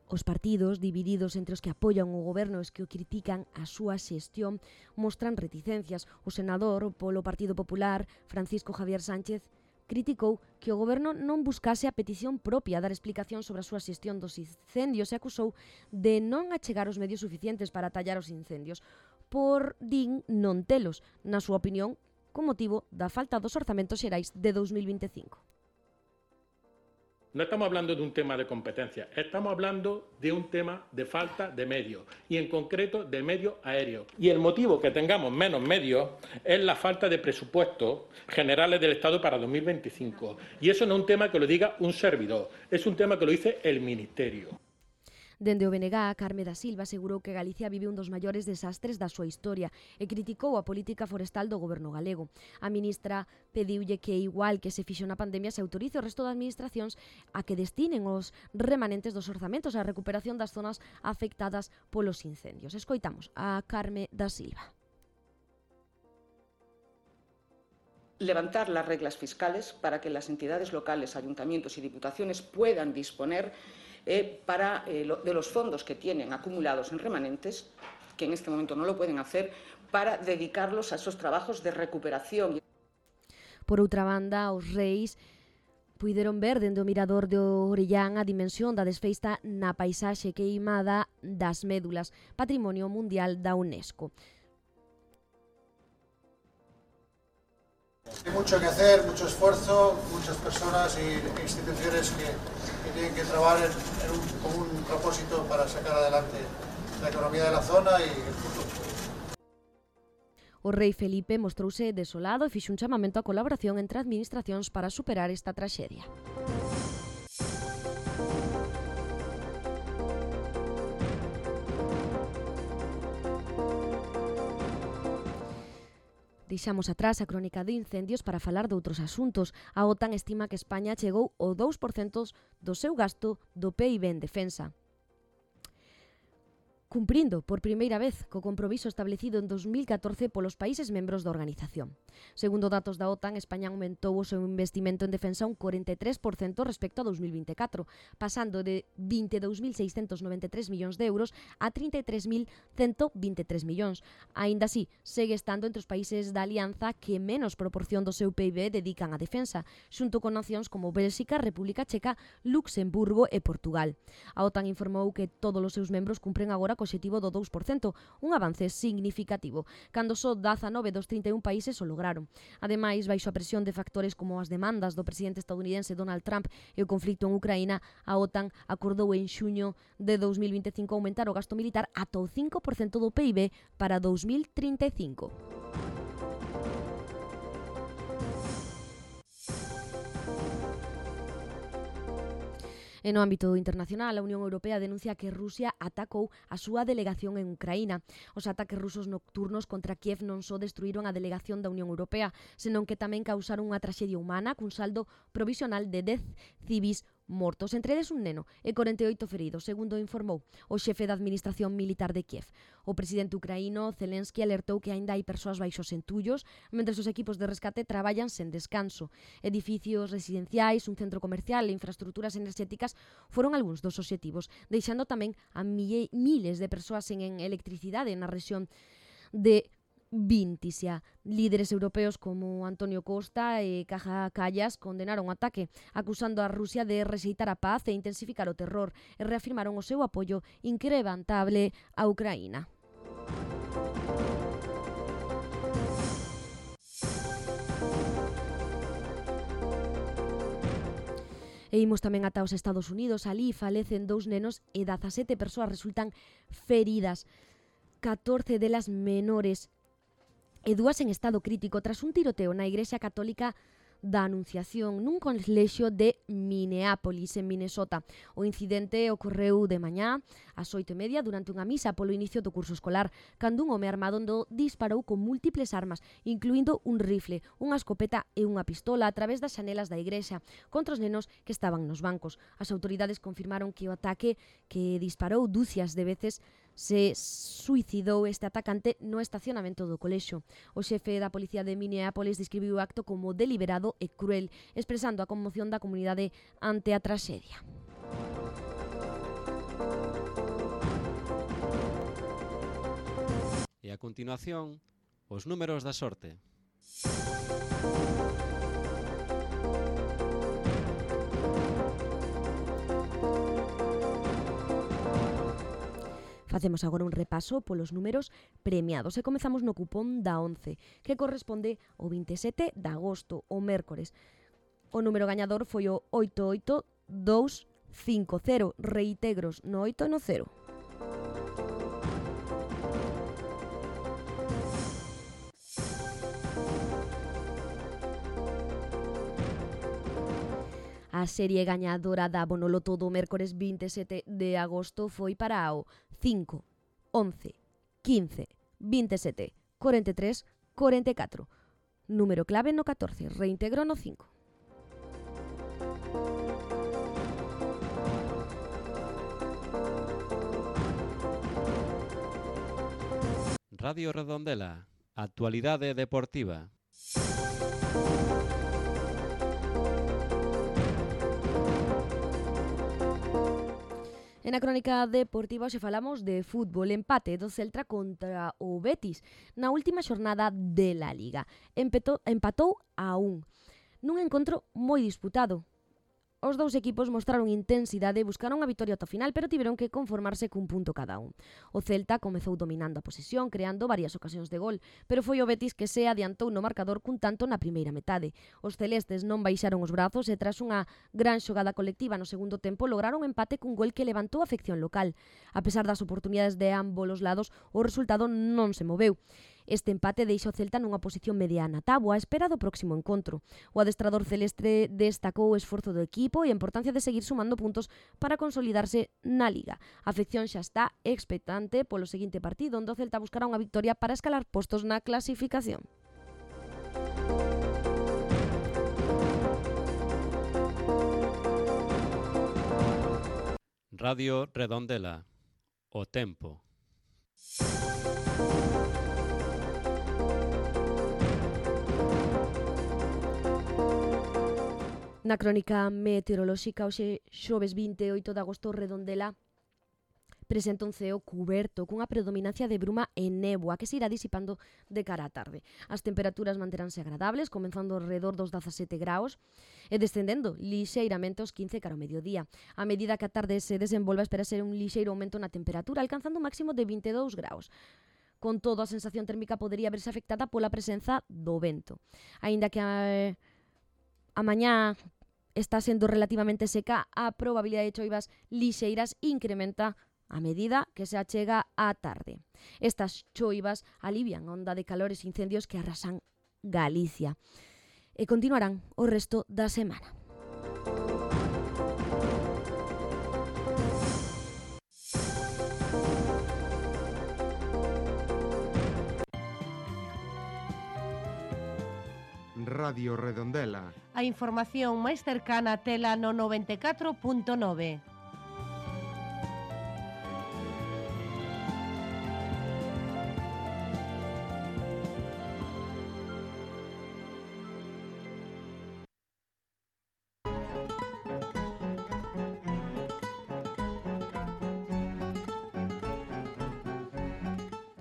S2: Os partidos, divididos entre os que apoian o Goberno e os que o critican a súa xestión, mostran reticencias. O senador polo Partido Popular, Francisco Javier Sánchez, criticou que o Goberno non buscase a petición propia dar explicación sobre a súa xestión dos incendios e acusou de non achegar os medios suficientes para atallar os incendios, por din non telos, na súa opinión, con motivo da falta dos orzamentos xerais de 2025.
S20: No estamos hablando de un tema de competencia, estamos hablando de un tema de falta de medios y en concreto de medios aéreos. Y el motivo que tengamos menos medios es la falta de presupuestos generales del Estado para 2025. Y eso no es un tema que lo diga un servidor, es un tema que lo dice el Ministerio.
S2: Dende o BNG, Carme da Silva asegurou que Galicia vive un dos maiores desastres da súa historia e criticou a política forestal do Goberno galego. A ministra pediulle que, igual que se fixo na pandemia, se autorice o resto das administracións a que destinen os remanentes dos orzamentos á recuperación das zonas afectadas polos incendios. Escoitamos a Carme da Silva.
S21: Levantar las reglas fiscales para que las entidades locales, ayuntamientos y diputaciones puedan disponer de los fondos que tienen acumulados en remanentes, que en este momento no lo pueden hacer, para dedicarlos a esos trabajos de recuperación.
S2: Por outra banda, os reis puideron ver dende o mirador de Orellán a dimensión da desfeita na paisaxe queimada das médulas, Patrimonio Mundial da UNESCO.
S22: Hay mucho que hacer, mucho esfuerzo, muchas personas e instituciones que tienen que trabajar con un propósito para sacar adelante la economía de la zona y el futuro.
S2: O rei Felipe mostrouse desolado e fixo un chamamento á colaboración entre administracións para superar esta traxedia. Deixamos atrás a crónica de incendios para falar de outros asuntos. A OTAN estima que España chegou ao 2% do seu gasto do PIB en defensa, cumprindo por primeira vez co compromiso establecido en 2014 polos países membros da organización. Segundo datos da OTAN, España aumentou o seu investimento en defensa un 43% respecto a 2024, pasando de 22.693 millóns de euros a 33.123 millóns. Aínda así, segue estando entre os países da alianza que menos proporción do seu PIB dedican á defensa, xunto con nacións como Bélxica, República Checa, Luxemburgo e Portugal. A OTAN informou que todos os seus membros cumpren agora co obxectivo do 2%, un avance significativo, cando só 19 dos 31 países o lograron. Ademais, baixo a presión de factores como as demandas do presidente estadounidense Donald Trump e o conflito en Ucraína, a OTAN acordou en xuño de 2025 aumentar o gasto militar ata o 5% do PIB para 2035. E no ámbito internacional, a Unión Europea denuncia que Rusia atacou a súa delegación en Ucraína. Os ataques rusos nocturnos contra Kiev non só destruíron a delegación da Unión Europea, senón que tamén causaron unha traxedia humana cun saldo provisional de 10 civis mortos, entre eles un neno, e 48 feridos, segundo informou o xefe da Administración Militar de Kiev. O presidente ucraíno Zelensky alertou que aínda hai persoas baixo os entullos, mentres os equipos de rescate traballan sen descanso. Edificios residenciais, un centro comercial e infraestructuras enerxéticas foron algúns dos obxectivos, deixando tamén a miles de persoas sen electricidade na rexión de Vintisia. Líderes europeos como Antonio Costa e Kaja Kallas condenaron o ataque, acusando a Rusia de rexeitar a paz e intensificar o terror, e reafirmaron o seu apoio inquebrantable a Ucraína. E imos tamén ata os Estados Unidos. Alí falecen 2 nenos e 17 persoas resultan feridas, 14 delas menores e 2 en estado crítico tras un tiroteo na Igrexa Católica da Anunciación nun colexio de Minneapolis, en Minnesota. O incidente ocorreu de mañá ás 8:30 durante unha misa polo inicio do curso escolar, cando un home armado disparou con múltiples armas, incluindo un rifle, unha escopeta e unha pistola a través das xanelas da igrexa contra os nenos que estaban nos bancos. As autoridades confirmaron que o ataque, que disparou dúcias de veces, se suicidou este atacante no estacionamento do colexio. O xefe da policía de Minneapolis describiu o acto como deliberado e cruel, expresando a conmoción da comunidade ante a traxedia.
S1: E a continuación, os números da sorte.
S2: Facemos agora un repaso polos números premiados e comezamos no cupón da 11, que corresponde ao 27 de agosto, o mércores. O número gañador foi o 88250, reintegros no 8 e no 0. A serie gañadora da Bonoloto do mércores 27 de agosto foi para o 5, 11, 15, 27, 43, 44. Número clave no 14, reintegro no 5.
S1: Radio Redondela, actualidade deportiva.
S2: En a crónica deportiva hoxe falamos de fútbol, empate do Celta contra o Betis na última xornada de la Liga. Empatou a 1, nun encontro moi disputado. Os dous equipos mostraron intensidade e buscaron a vitoria ata o final, pero tiveron que conformarse cun punto cada un. O Celta comezou dominando a posesión, creando varias ocasións de gol, pero foi o Betis que se adiantou no marcador cun tanto na primeira metade. Os celestes non baixaron os brazos e tras unha gran xogada colectiva no segundo tempo lograron empate cun gol que levantou a afección local. A pesar das oportunidades de ambos os lados, o resultado non se moveu. Este empate deixa o Celta nunha posición mediana táboa á espera do próximo encontro. O adestrador celeste destacou o esforzo do equipo e a importancia de seguir sumando puntos para consolidarse na Liga. A afección xa está expectante polo seguinte partido, onde o Celta buscará unha victoria para escalar postos na clasificación.
S1: Radio Redondela, o tempo.
S2: Na crónica meteorolóxica, hoxe xoves 28 de agosto, Redondela presenta un ceo cuberto cunha predominancia de bruma e néboa que se irá disipando de cara á tarde. As temperaturas manteránse agradables, comenzando alrededor dos 17 graus e descendendo lixeiramente aos 15 cara ao mediodía. A medida que a tarde se desenvolva, espera ser un lixeiro aumento na temperatura, alcanzando un máximo de 22 graus. Con todo, a sensación térmica podería verse afectada pola presenza do vento. Aínda que a mañá está sendo relativamente seca, a probabilidade de choivas lixeiras incrementa a medida que se achega á tarde. Estas choivas alivian a onda de calores e incendios que arrasan Galicia e continuarán o resto da semana.
S4: Radio Redondela.
S5: A información máis cercana tela no 94.9.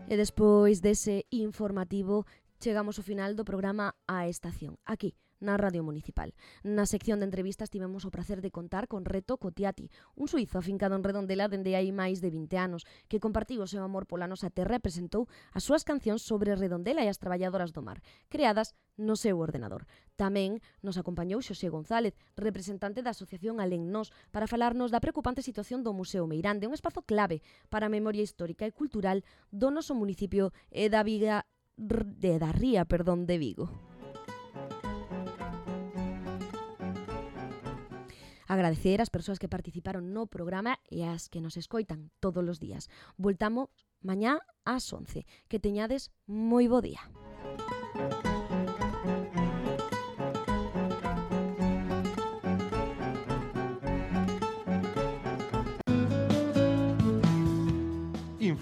S2: E despois dese informativo chegamos ao final do programa A Estación, aquí, na Radio Municipal. Na sección de entrevistas tivemos o prazer de contar con Reto Cotiati, un suizo afincado en Redondela dende hai máis de 20 anos, que compartiu o seu amor pola nosa terra e presentou as súas cancións sobre Redondela e as traballadoras do mar, creadas no seu ordenador. Tamén nos acompañou Xosé González, representante da Asociación Alén Nós, para falarnos da preocupante situación do Museo Meirande, un espazo clave para a memoria histórica e cultural do noso municipio e da ría de Vigo. Agradecer ás persoas que participaron no programa e ás que nos escoitan todos os días. Voltamos mañá ás 11. Que teñades moi bo día.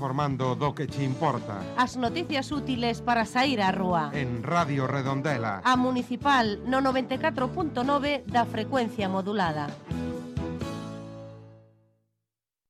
S4: Informando do que che importa.
S5: As noticias útiles para sair á rúa.
S4: En Radio Redondela.
S5: A Municipal no 94.9 da frecuencia modulada.